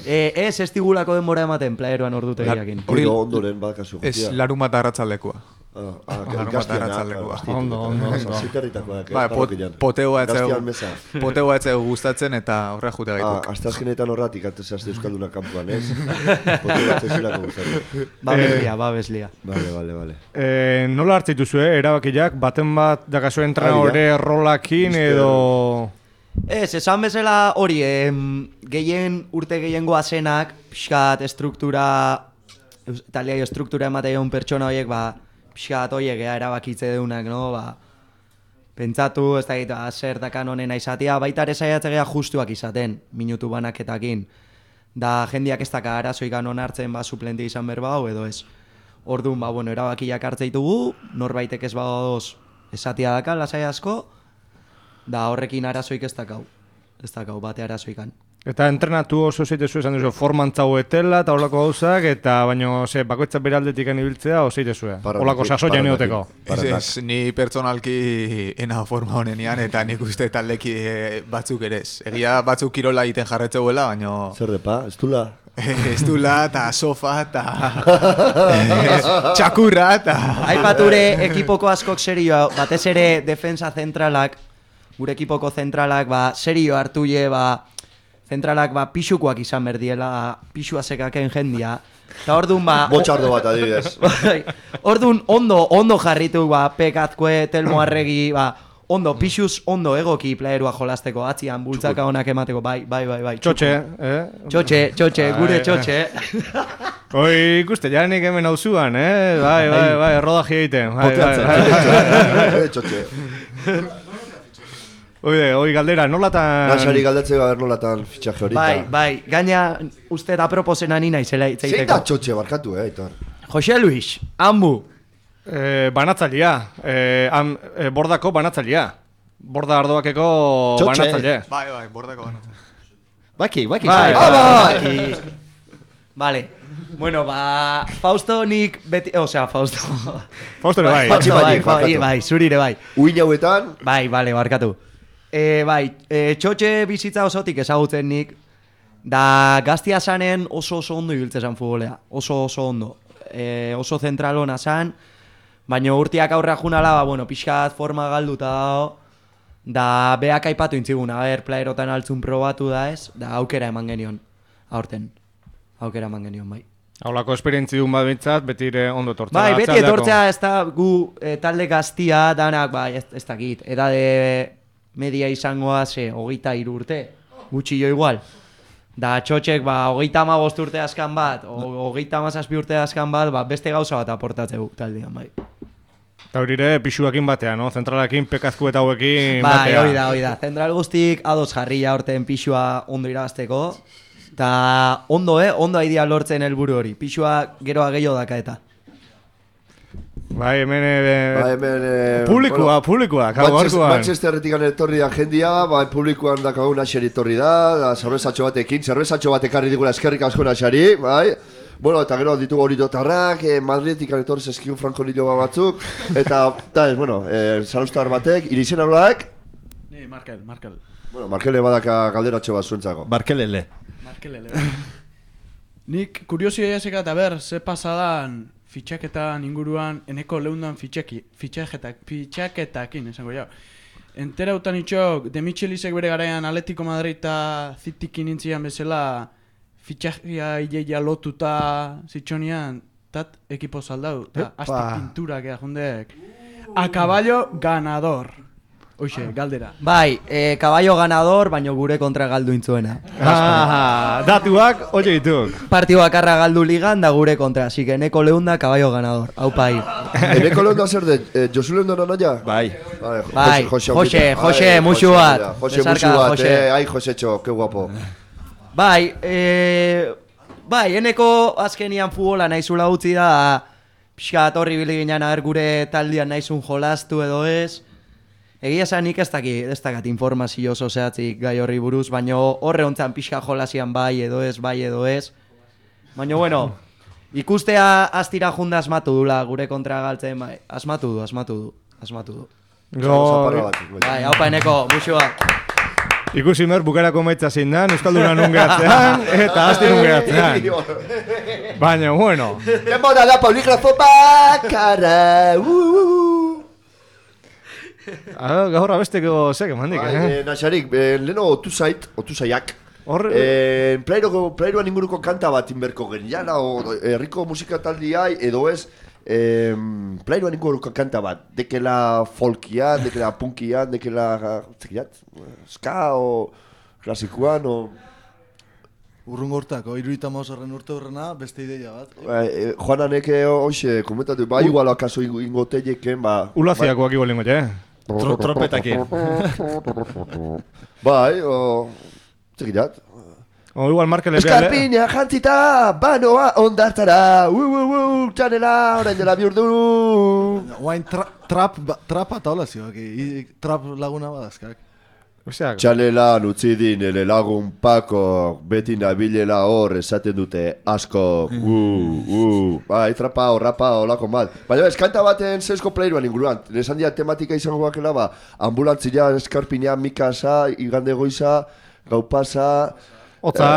[SPEAKER 5] Ez estigulako denbora ematen playeruan ordutegiakin.
[SPEAKER 2] Hori ondoren badakazu.
[SPEAKER 7] Ez larumata arratzaldekua.
[SPEAKER 1] Ondo.
[SPEAKER 7] Potegoa etzeu gustatzen eta horre jute gaituk.
[SPEAKER 2] Astazkenetan horratik antezazte Euskalduna kampuan, ez? Potegoa etzezulako gustatzen.
[SPEAKER 5] Babeslia.
[SPEAKER 2] Vale.
[SPEAKER 1] Nola hartzeitu zue, erabakiak, baten bat dakazu entrenadore rolakin edo...
[SPEAKER 5] Ez, esan bezala hori, urte gehien goazenak, pixkat estruktura, taliai estruktura ematean pertsona horiek, pixkat horiek erabakitze deunak, no? Pentsatu, ez da zer dakan honena izatea, baita ere saiatzea justuak izaten, minutu banaketakin. Da jendiak ez daka arazoikan onartzen suplente izan berba hau edo ez. Orduan, erabakiak hartzeitugu, norbaitek ez badoz esatea daka, lasai asko, da horrekin arazoik ez dakau bate arazoikan.
[SPEAKER 1] Eta entrenatu oso zeitezu esan duzu, formantzau etela eta holako gauzak, eta baino, bakoitzak bere aldetik ibiltzea, ozeitezue, holako sasoia neoteko.
[SPEAKER 7] Ez, ni pertsonalki ena forma honenian, eta nik uste taldeki batzuk ere ez. Egia batzuk kirola egiten jarretzeuela, baino...
[SPEAKER 2] Zer depa, ez dula?
[SPEAKER 7] Estula, eta sofa, eta txakurra, eta...
[SPEAKER 5] Aipature ekipoko askok serio, batez ere defensa zentralak, gure ekipoko zentralak, serio hartuie, zentralak pixukoak izan berdiela, pixua sekaken jendia. Eta orduan
[SPEAKER 2] Botxardo bat adibidez.
[SPEAKER 5] Orduan ondo jarritu, Pekazkue, Telmo Arregi, ondo, pixuz ondo egoki playerua jolasteko, atzian bultzaka honak emateko, bai.
[SPEAKER 1] Txotxe,
[SPEAKER 5] Txotxe, gure txotxe.
[SPEAKER 1] Oi, ikuste, janik hemen hau zuan, bai, rodaji egiten.
[SPEAKER 2] Txotxe.
[SPEAKER 1] Oi, galdera, nolatan...
[SPEAKER 2] Nasari galdatzeko gaber nolatan fitxaje hori.
[SPEAKER 5] Bai, gaina uste da proposena nina izela itzeiteko.
[SPEAKER 2] Zein da txotxe barkatu, Aitor?
[SPEAKER 5] Jose Luis, Ambu.
[SPEAKER 1] Banatzailea, bordako banatzailea. Borda ardoakeko banatzailea.
[SPEAKER 7] Bai, bordako banatzailea.
[SPEAKER 3] Baki.
[SPEAKER 5] Baki. Vale. Bueno, Fausto nik beti... Osea, Fausto.
[SPEAKER 1] Fausto bai.
[SPEAKER 5] Bai, zurire bai.
[SPEAKER 2] Uin hauetan...
[SPEAKER 5] Bai, barkatu. Txotxe bizitza osotik ezagutzen nik, da gaztia zanen oso ondo ibiltzezan futbolea, oso ondo. Oso zentralona zan, baina urtiak aurrea junala, pixkat forma galduta dago, da beak aipatu intziguna, playerotan altzun probatu da ez, da aukera eman genion, aurten, bai.
[SPEAKER 1] Haulako esperientzi dun bat bintzat, betire ondo tortzea.
[SPEAKER 5] Bai, beti etortzea ez da gu talde gaztia danak, ez dakit, edade media izangoa 23 urte, gutxi jo igual. Da txotxek 35 urte askan bat, 37 urte askan bat, beste gauza bat aportatzeu taldean, bai.
[SPEAKER 1] Eta horire pixuakin batean, no? Zentralakin, Pekazku eta hauekin batea.
[SPEAKER 5] Bai, hori da. Zentral guztik ados jarria horten pixua ondo irabazteko. Eta ondo aidea lortzen helburu hori. Pixua geroa gehiago daka eta.
[SPEAKER 1] Bai, hemen... Publikoa, gaurkoan.
[SPEAKER 2] Manchesterretik etorri da jendia, publikoan dakagun Nasari etorri da, zerbezatxo bat ekarri digula eskerrik asko Nasari, bai. Bueno, eta gero ditugu hori dotarrak, Madridetik etorri zeskio Franco Nilo batzuk, eta, zalustar batek, irizen hablaak?
[SPEAKER 8] Ni, Markel.
[SPEAKER 2] Bueno, Markele badaka galderatxo bat zuentzako.
[SPEAKER 3] Markelele.
[SPEAKER 8] Nik kuriosia jaseka eta ze pasadan fitxaketan inguruan eneko leundan fitxaketakin, esango jau. Enterautan itxok, de Michelisek bere garaian Atletico Madrid eta Citykin intzian bezala fitxakia ideia lotuta zitxonian, tat ekipo saldau, eta azte pinturak jundek. A caballo ganador. Hoxe, galdera.
[SPEAKER 5] Bai, caballo ganador, baino gure kontra galdu intzuena.
[SPEAKER 1] Datuak, oie dituk.
[SPEAKER 5] Partio bakarra galdu ligan da gure kontra, así que eneko leunda, caballo ganador. Aupa ahí.
[SPEAKER 2] Eneko leunda zer de, Josu leunda nanoia?
[SPEAKER 3] Bai.
[SPEAKER 5] Jose, musu bat.
[SPEAKER 2] Jose, musu bat, ai Josecho, que guapo.
[SPEAKER 5] Bai, eneko azkenian futbola naizula utzi da, pixkat horri biliginan gure taldean naizun jolastu edo ez. Egia esan nik ez dakat informazio oso zehatzik gai horri buruz, baina horre hontzan pixka jolasian bai edo ez. Baina bueno, ikustea astira junda asmatu dula gure kontra galtzen, bai, asmatu du. Bai, haupa eneko, musu bat.
[SPEAKER 1] Ikusi mer bukarako maitza zein dan, Euskalduna nun gehatzean, eta asti nun gehatzean. Baina, bueno.
[SPEAKER 2] Demora da poligrafo bakarra,
[SPEAKER 1] Gaur abesteko zek, emandik,
[SPEAKER 2] Nasarik, leheno otuzaiak. Plairoan inguruko kanta bat inberko geniala, herriko musika taldiai, edo ez, plairoan inguruko kanta bat. Dekela folkian, dekela punkian, dekela, ska, o klasikoan, o...
[SPEAKER 8] Urrungo hortako, 78 urte horrena, beste ideia bat.
[SPEAKER 2] Joanak hoxe, komentatu, igual akaso ingoteieken,
[SPEAKER 1] Ulaziakoak igual ingote,
[SPEAKER 3] Tropetakin.
[SPEAKER 2] Bai, txekirat.
[SPEAKER 1] Igual Markele
[SPEAKER 2] Eskarpina jantzita, banoa ondartara, txanela, orain dela biurdu.
[SPEAKER 8] Oain trap eta hola zioak, trap laguna badazkak.
[SPEAKER 2] Txanela nutzi din, ele lagun pako, beti nabilela hor esaten dute asko, bai, trapa olako mal. Baina eskanta baten zesko playruan inguruan, nesan dia tematika izango bakela, ambulantzia, eskarpina, mikasa, igande goiza, gaupasa,
[SPEAKER 1] Otza.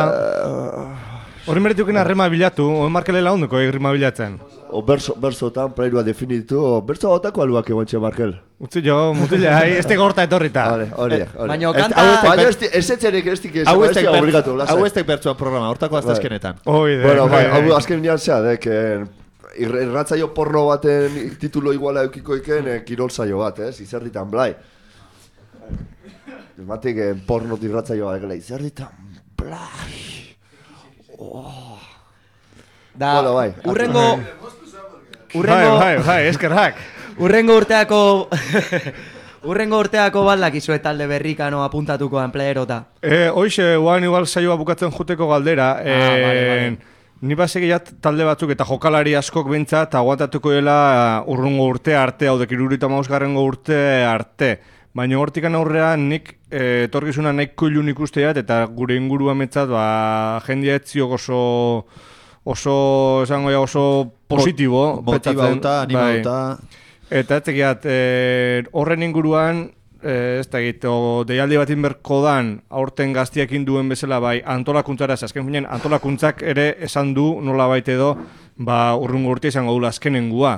[SPEAKER 1] Horri merituken harrema bilatu, Markelela ondoko harrema bilatzen.
[SPEAKER 2] O berzotan plairua definitu, o berzo otako aluak egontxe Markel.
[SPEAKER 1] Utzi jo, mutila, este gorta etorrita.
[SPEAKER 2] Hori.
[SPEAKER 5] Baina kanta...
[SPEAKER 2] Baina ez etxerik ez dik obligatu, lasai.
[SPEAKER 3] Hau ez tek bertzuan programa, hortako aztazkenetan.
[SPEAKER 2] Bueno, hau azken nian zea, irratzaio porno baten titulo iguala eukiko iken kirol saio bat, izerditan blai. Matik porno irratzaio bat, izerditan blai.
[SPEAKER 5] Da,
[SPEAKER 2] Bueno, bai.
[SPEAKER 1] Bai, eskerrak.
[SPEAKER 5] Urrengo urteako baldakizu talde berrikano apuntatukoan playerota.
[SPEAKER 1] Hoxe, guan igual saioa bukatzen juteko galdera.
[SPEAKER 5] Vale.
[SPEAKER 1] Ni basegiat talde batzuk eta jokalari askok bentsat aguantatuko dela urrungo urte arte, hau dekirurita mausgarrengo urte arte. Baina hortikan aurrean nik etorkizuna nahiko ilun ikusteat eta gure inguruan metzat jendia etziok oso positibo.
[SPEAKER 3] Motibauta, animauta.
[SPEAKER 1] Eta etzekiat, horren inguruan, ez da egito, deialdi batin berko dan, aurten gaztiakin duen bezala, bai, antolakuntzara, azken finean, antolakuntzak ere esan du, nola baita edo, urrungo urte izango dula azkenengua.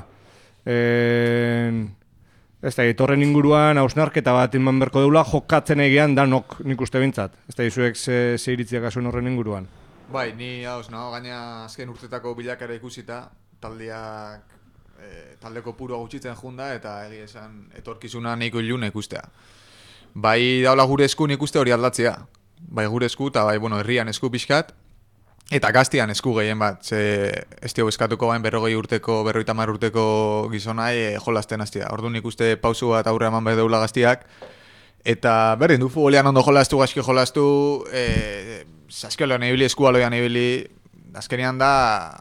[SPEAKER 1] Ez da egito, horren inguruan, hausnarketa bat inban berko deula, jokatzen egean danok nik uste bintzat. Ez da izuek ze iritziak azuen horren inguruan.
[SPEAKER 7] Bai, ni hauz, gaina azken urtetako bilakara ikusita, taldeko purua gutxitzen junda eta egia esan etorkizuna nahiko ilun ikustea. Bai daula gure esku ikuste hori aldatzea. Bai gure esku eta bai herrian esku pixkat eta gaztian esku gehien bat. Ze ez dio eskatuko bain 40 urteko, 50 urteko gizonai jolasten hastea. Orduan ikuste pausu bat aurre eman behar deula gaztiak. Eta berdin du futbolean ondo jolastu, gaizki jolastu, saskiolean ibili, eskualoian ibili, azkenean da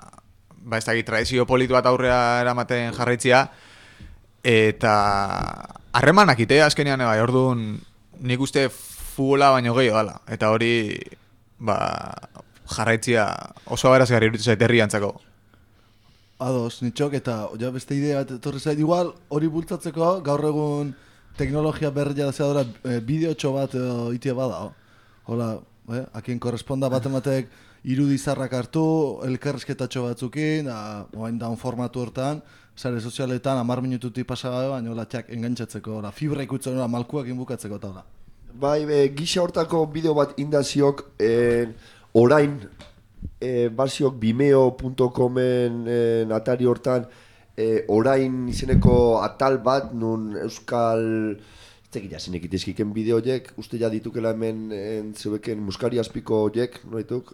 [SPEAKER 7] ez dakit, tradizio politu bat aurrea eramaten jarraitzia, eta harremanak itea azkenean, orduan nik uste futbola baino gehiago dala, eta hori jarraitzia oso aberazgarri iruditzen zait herriantzako.
[SPEAKER 9] Ados, nitxok, eta beste idea bat etorri zait, igual hori bultzatzeko gaur egun teknologia berria zeadora bideotxo bat itia bada. Hola, akien korresponda bat ematek irudizarrak hartu, elkarrezketatxo batzukin, oain daun formatu hortan, sare sozialetan 10 minututik pasagabe, baina hola txak engantzatzeko, fibra ikutzen malkuak inbukatzeko eta hola.
[SPEAKER 2] Bai, gisa hortako bideo bat indaziok, orain, baziok vimeo.comen atari hortan, orain izeneko atal bat, nun euskal... Zekila zinek itezkiken bideo horiek, uste ja ditukela hemen zeueken muskari azpiko horiek, noituk?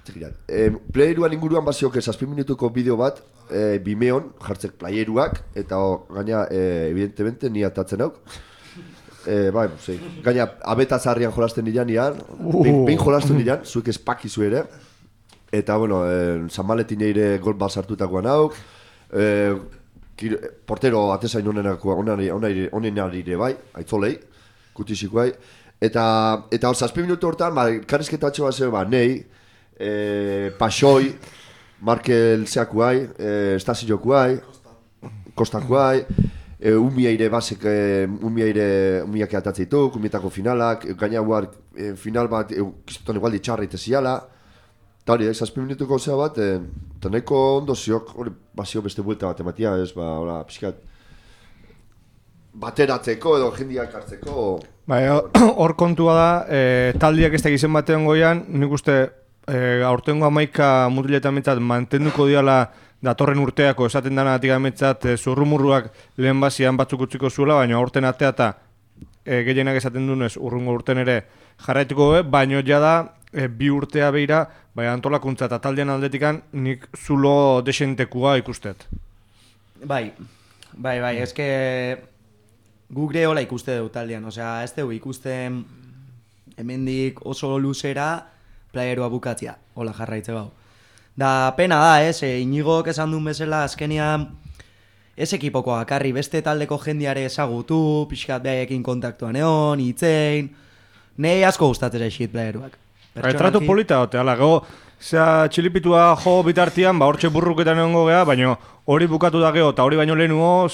[SPEAKER 2] Zekila. Playeruan inguruan baziok 7 minutuko bideo bat, Vimeon, jartzek playeruak, eta gaina, evidentemente, ni atatzen hauk. Gaina, abetazarrian jolasten nian, behin jolasten nian, zuek espakizu ere. Eta, bueno, Zamaletin eire gol bat sartutakoan hauk, portero atezain onenarire bai, aitzolei, kutisik bai. Eta hor, 7 minutu hortan, karrizketatxo bat zer, nei, Pasoi, Markel zeakuai, Estaziokuai, Kostakuai, Umiaire basek, umiak eatatzeituk, umietako finalak, gaina guar final bat, kistutan igualdi txarreite ziala. Eta hori, 7 minutuko zea bat, eta nahiko ondo ziok, hori bazio beste buelta bat ematia, ez, pixkat bateratzeko edo jendiak hartzeko.
[SPEAKER 1] Hor kontua da, taldiak ez da gizen batean goian, nik uste aurtengo 11 mutiletan metzat mantenduko diala datorren urteako esaten dana atik metzat zurrumurruak lehen bazian batzuk utziko zuela, baina aurten atea eta gehienak esaten dunez urrungo urten ere jarraituko baina jada 2 urtea behira, bai antolakuntza eta taldean aldetikan nik zulo desentekua ikustet.
[SPEAKER 5] Bai, eske gure hola ikuste dut taldean, osea, ez dugu ikusten hemendik oso luzera playerua bukatzea, hola jarraitze gau. Da pena da, Iñigok esan duen bezala azkenean ez ekipoko akarri beste taldeko jendiare ezagutu, pixkat behaiekin kontaktuan egon, hitzein, nahi asko gustatzen eixit playeruak.
[SPEAKER 1] Tratu polita hote, ala, gego, txilipitua jo bitartian, hortxe burruketan egongo gea, baina hori bukatu da geho, eta hori baino lehenuo,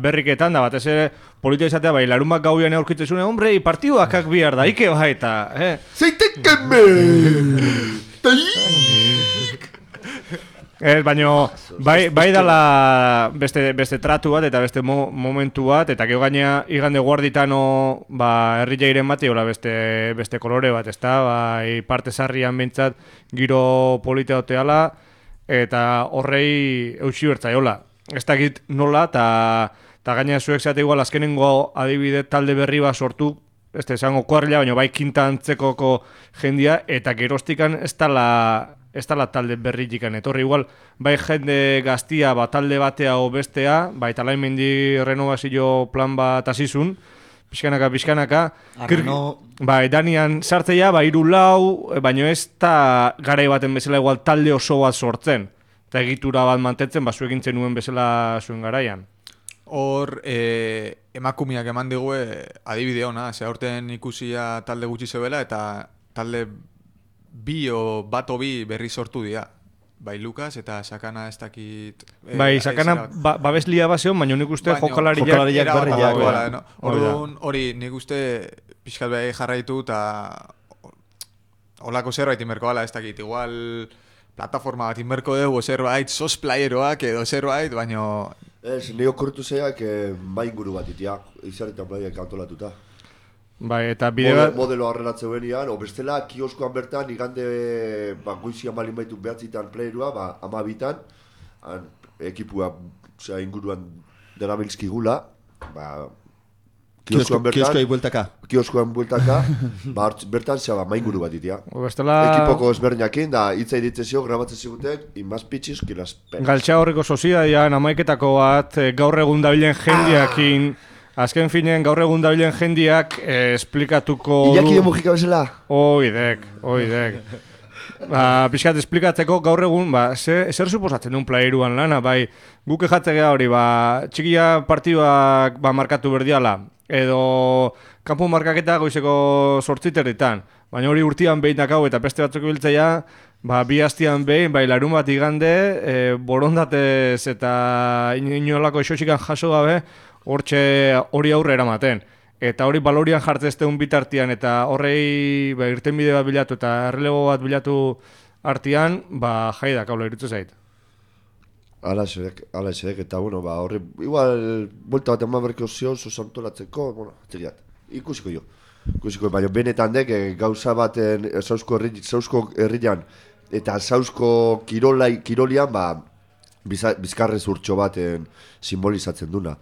[SPEAKER 1] berriketan da, batez ere polita izatea, bai, larun bat gauian eurkitzezune, hombre, partiduakak bihar da, ike bai, eta,
[SPEAKER 2] Zeitekeme!
[SPEAKER 1] Baina, bai dala beste tratu bat eta beste momentu bat, eta gero gaina igande guarditano herri jairen bat, beste kolore bat, ezta? Bai, parte sarrian behintzat giro polita oteala, eta horrei eutxi bertzaiola. Ez dakit nola, eta gaina zuek zeate igual azkenengo adibide talde berri bat sortu, ez da esango kuarrila, baina bai kinta antzekoko jendia, eta gerostikan ez dala talde berrikikan etorri, igual, bai jende gaztia talde batea o bestea, bai talaimendi renovazio plan bat azizun, pixkanaka, bai Danian sartzeia, bai 3-4, baina ez da garai baten bezala igual talde oso bat sortzen, eta egitura bat mantentzen, zuekin zenuen bezala zuen garaian.
[SPEAKER 7] Hor, emakumiak eman digue adibide ona, aurten ikusia talde gutxi zebela, eta talde bi berri sortu dira. Bai, Lukas eta Sakana ez dakit...
[SPEAKER 1] Bai, Sakana babeslia baseon, baina nik uste jokalariak berriak.
[SPEAKER 7] Orduan, hori nik uste pixkat behar jarraitu eta holako zerbait inberko gala, ez dakit, igual plataforma bat inberko dugu zerbait, sos playeroak edo zerbait, baina...
[SPEAKER 2] Ez, nire okurritu zeiak main guru bat itia, izarretan playerak antolatuta.
[SPEAKER 1] Bai, eta bideo
[SPEAKER 2] modelo arrelatze benian, o bestela kioskoan bertan igande goizian balin baitu behatzitan playerua, 12tan ekipua inguruan derabilzkigula, kioskoan bueltaka, bertan main guru bat itia. Ekipoko ezberdinekin, da hitza iditzezio, grabatzen zigutek, inmaz pitxiz, kilazpen.
[SPEAKER 1] Galtxa horreko sozidadian, amaiketako bat, gaur egun dabilen jendiakin, azken finean gaur egun dabilen jendiak esplikatuko du...
[SPEAKER 2] Iñaki de Mujika bezala?
[SPEAKER 1] Oidek. Pixkat esplikatzeko gaur egun, zer suposatzen duen playeruan lana, bai, guk ejatzea hori, txikia partiduak markatu berdiala, edo kanpo markaketa goizeko 8:00, baina hori urtian behin dakau eta beste batzuk biltzeia, bi hastian behin, larun bat igande, borondatez eta inolako esoxikan jaso gabe, hori aurre eramaten. Eta hori balorian jartzezteun bitartian eta horrei irtenbide bat bilatu eta errelego bat bilatu artian, jaidak haula iritzu zait.
[SPEAKER 2] Ala esedek, eta horre, igual, buelta bat eman berkeo zion, zuzantolatzeko, txeriat, ikusiko jo. Baina benetan dek, gauza baten Sausko herrian eta Sausko kirolian, bizkarrez urtxo baten simbolizatzen duna.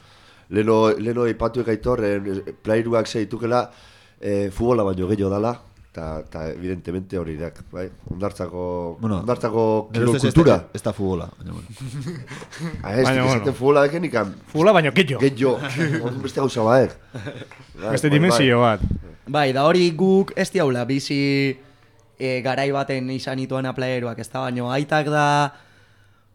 [SPEAKER 2] Leno ipatu egaitorren, playeruak zeitukela, futbola baino gehiago dala, eta evidentemente hori dak, bai? Ondartzako kirol kultura.
[SPEAKER 3] Ez da futbola.
[SPEAKER 2] Ez dizaten futbola deken ikan.
[SPEAKER 1] Futbola baino gehiago.
[SPEAKER 2] Gehiago, beste gauza baek.
[SPEAKER 1] Beste dimensio bat.
[SPEAKER 5] Bai, da hori guk ez diaula, bizi garai baten izan ituan playeruak, ez da, baino aitak da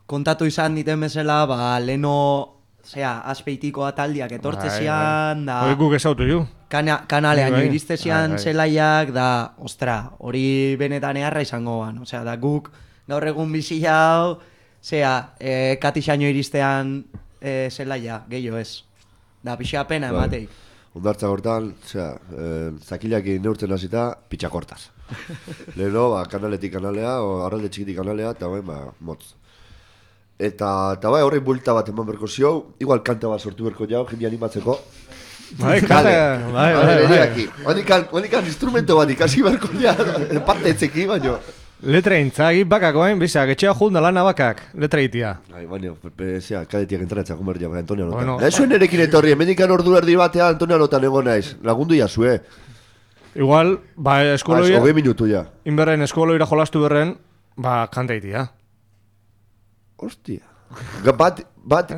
[SPEAKER 5] kontatu izan diten bezala, leno... azpeitiko ataldiak etortzezian, da...
[SPEAKER 1] Hori guk ezautu ju.
[SPEAKER 5] Kanalean iristzezian zelaiak, da, ostra, hori benetan eharra izango ban. Osea, da guk gaur egun bizi jau, katixaino iristean zelaia, gehiago ez. Da, pixa pena emateik.
[SPEAKER 2] Ondartza gortan, zakilak neurtzen hasita, pitxakortaz. Leheno, kanaletik kanalea, o arralde txikitik kanalea, eta motz. Eta horrein buelta bat eman berko zio, igual kanta bat sortu berko jau, jende animatzeko.
[SPEAKER 1] Bai.
[SPEAKER 2] Honikan instrumento bat ikasi berko ja, parte etzeki, baino.
[SPEAKER 1] Letra intzagi bakako, bizak, etxea junda lana bakak, letra itia.
[SPEAKER 2] Baina, kadetiak entratzak gomerdia, Antonio Lotan. Nahi zuen erekin etorri, emendikan ordu erdi batean Antonio Lotan egon naiz, lagundu jasue.
[SPEAKER 1] Igual, eskoloia...
[SPEAKER 2] 20 minutu ja.
[SPEAKER 1] Inberren, eskoloira jolastu berren, kanta itia.
[SPEAKER 2] Hostia. Bat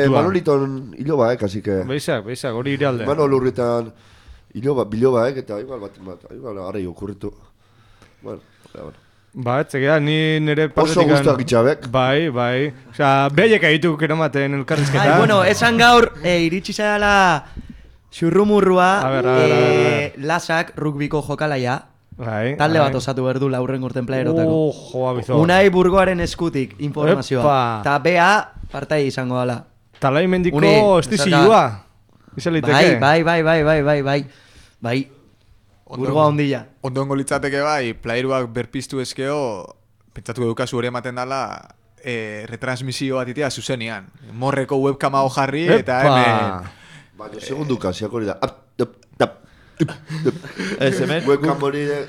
[SPEAKER 2] Manoliton iloba, kasi que...
[SPEAKER 1] Beizak, hori iralde.
[SPEAKER 2] Manolurritan iloba, eta igual arrei okurritu. Bueno.
[SPEAKER 1] Etzegea, ni nire
[SPEAKER 2] partetik... Oso guztak itxabek.
[SPEAKER 1] Bai. Osea, behaiek aitu keramaten elkarrizketa.
[SPEAKER 5] Bueno, esan gaur, iritsi zaila xurrumurrua, lasak, rugbiko jokalaia. Talde bat osatu berdu laurren urten playerotako.
[SPEAKER 1] Abizo.
[SPEAKER 5] Unai Burgoaren eskutik informazioa. Ta BA partai izango dela.
[SPEAKER 1] Talai mendiko estizilua. Izaliteke.
[SPEAKER 5] Bai. Burgoa ondila.
[SPEAKER 7] Ondongo litzateke bai, playeruak berpiztu ezkeo, pentsatuko dukazu hori ematen dela, retransmisio bat itea zuzenian. Morreko webkama jarri eta hemen...
[SPEAKER 2] Baina, segunduka, ziak hori da.
[SPEAKER 3] Ez hemen?
[SPEAKER 2] Webkam hori de...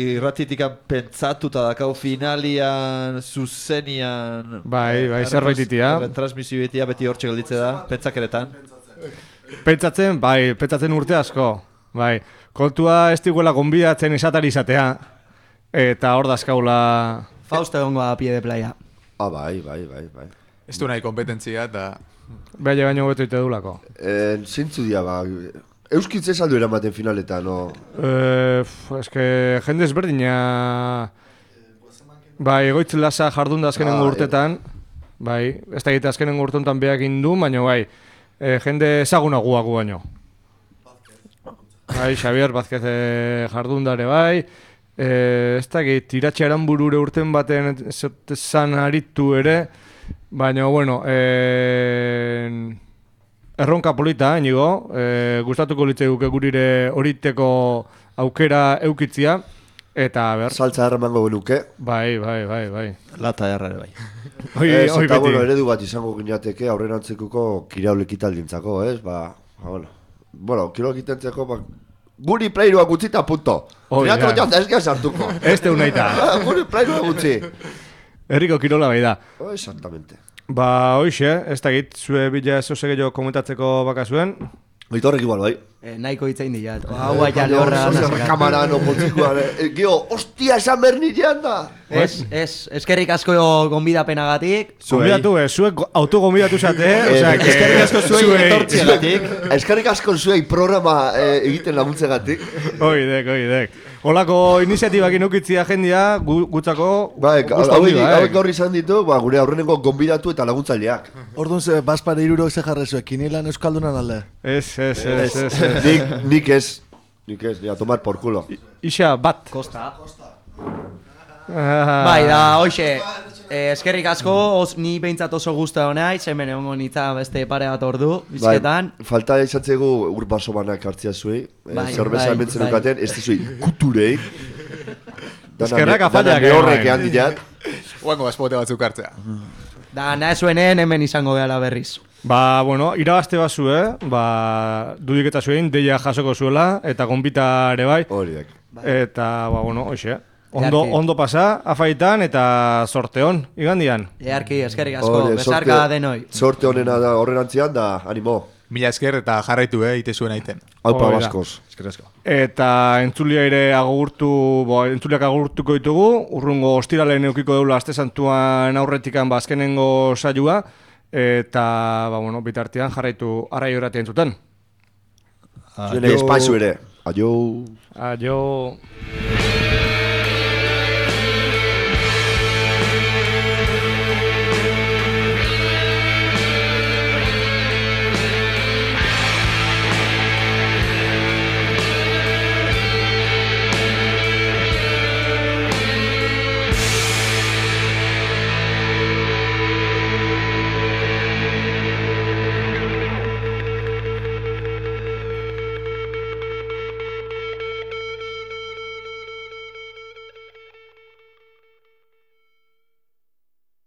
[SPEAKER 3] Irratitikan pentsatuta dakau finalian, zuzenian...
[SPEAKER 1] Bai, zerbait itia.
[SPEAKER 3] Retransmisio itia beti hortxe gelditze da, pentsakeretan.
[SPEAKER 1] Pentsatzen urte asko. Bai, kontua ez diguela gonbidatzen esatari izatea. Eta hor dazkaula...
[SPEAKER 5] Fausto egongo a pie de playa.
[SPEAKER 2] Bai.
[SPEAKER 7] Ez du nahi kompetentzia eta...
[SPEAKER 1] Baina beto ite dulako.
[SPEAKER 2] Zintzu dia, ba... Euskitze saldu eramaten finaletan, no?
[SPEAKER 1] Eske, jende ezberdina... Bai, egoitz lasa jardun da azkenengo urtetan. Bai, ez da egite azkenengo urtetan beak indu, baina bai, jende ezagunaguago baino. Bai, Xavier Vázquez jardundare bai. Ez da egit, tiratxe aranburure urten baten zan aritu ere. Baina, bueno, erronka polita, inigo. Gustatuko litzei guke gurire horiteko aukera eukitzia. Eta, ber...
[SPEAKER 2] Saltza erramango genuke.
[SPEAKER 1] Bai.
[SPEAKER 3] Lata errare bai.
[SPEAKER 2] Eta, bueno, eredu bat izango gineateke aurrerantzekuko kiraulekitaldintzako, ez? Bueno, kiraulekitaldintzako, guri playruak utzita, punto. Triatlo jazta ez sartuko.
[SPEAKER 1] Ez teu nahi ta.
[SPEAKER 2] Guri playruak utzi.
[SPEAKER 1] Herriko kirola bai da.
[SPEAKER 2] Exactamente.
[SPEAKER 1] Hoxe, ez da git, zue bila zoze gehiago komentatzeko bakazuen.
[SPEAKER 2] Oitorrek igual, bai.
[SPEAKER 5] Nahiko hitzein dira. Hau aia lehorra.
[SPEAKER 2] Kamara no poltzikoa. Gio, ostia, esan bernilean da.
[SPEAKER 5] Eskerrik asko gonbidapenagatik.
[SPEAKER 1] Gonbidatu, zuek autogonbidatu zate.
[SPEAKER 3] Eskerrik asko zuei etortziagatik.
[SPEAKER 2] Eskerrik asko zuei programa egiten laguntzegatik.
[SPEAKER 1] Oidek. Olako iniziatibak inukitzia jendia, gutzako...
[SPEAKER 2] Bai, hauek gaur izan ditu, gure aurrenengo gonbidatu eta laguntzaileak.
[SPEAKER 9] Orduan ze, baspare irurok ze jarrezuek, kinilan euskaldunan alde?
[SPEAKER 1] Ez.
[SPEAKER 2] Nik ez, ni a tomar por culo.
[SPEAKER 1] Ixa, bat.
[SPEAKER 5] Kosta. Bai, da, hoxe, eskerrik asko, ni behintzat oso guztua honaiz, hemen egongo nitza beste pare bat ordu, bizketan.
[SPEAKER 2] Bai, falta izatzegu urbaso banak hartzia zuei, zerbeza ementzen dukaten, ez zuei kuturei.
[SPEAKER 1] Eskerrak afaldeak
[SPEAKER 2] egin. Dana horrek ehan diat.
[SPEAKER 7] Oango azpote batzuk hartzea.
[SPEAKER 5] Da, nahezuenen hemen izango gehala berriz.
[SPEAKER 1] Bueno, irabazte bazu, dudik eta zuen, deia jasoko zuela, eta gonbita ere bai.
[SPEAKER 2] Horiek.
[SPEAKER 1] Eta, bueno, hoxe. Ondo pasa, afaitan eta sorte hon, igandian.
[SPEAKER 5] Earki, eskerrik asko, besarka denoi.
[SPEAKER 2] Sorte honena da horrenantzian da, animo.
[SPEAKER 7] Mila esker eta jarraitu, ite zuen aiten.
[SPEAKER 2] Aupa baskoz.
[SPEAKER 3] Esker asko.
[SPEAKER 1] Eta entzulia ere entzuliak agurtuko ditugu, urrungo ostiralen eukiko deula aste santuan aurretikan azkenengo saioa, eta, bueno, bitartean jarraitu arrai horatia entzuten.
[SPEAKER 2] Zuen espaizu ere. Aio.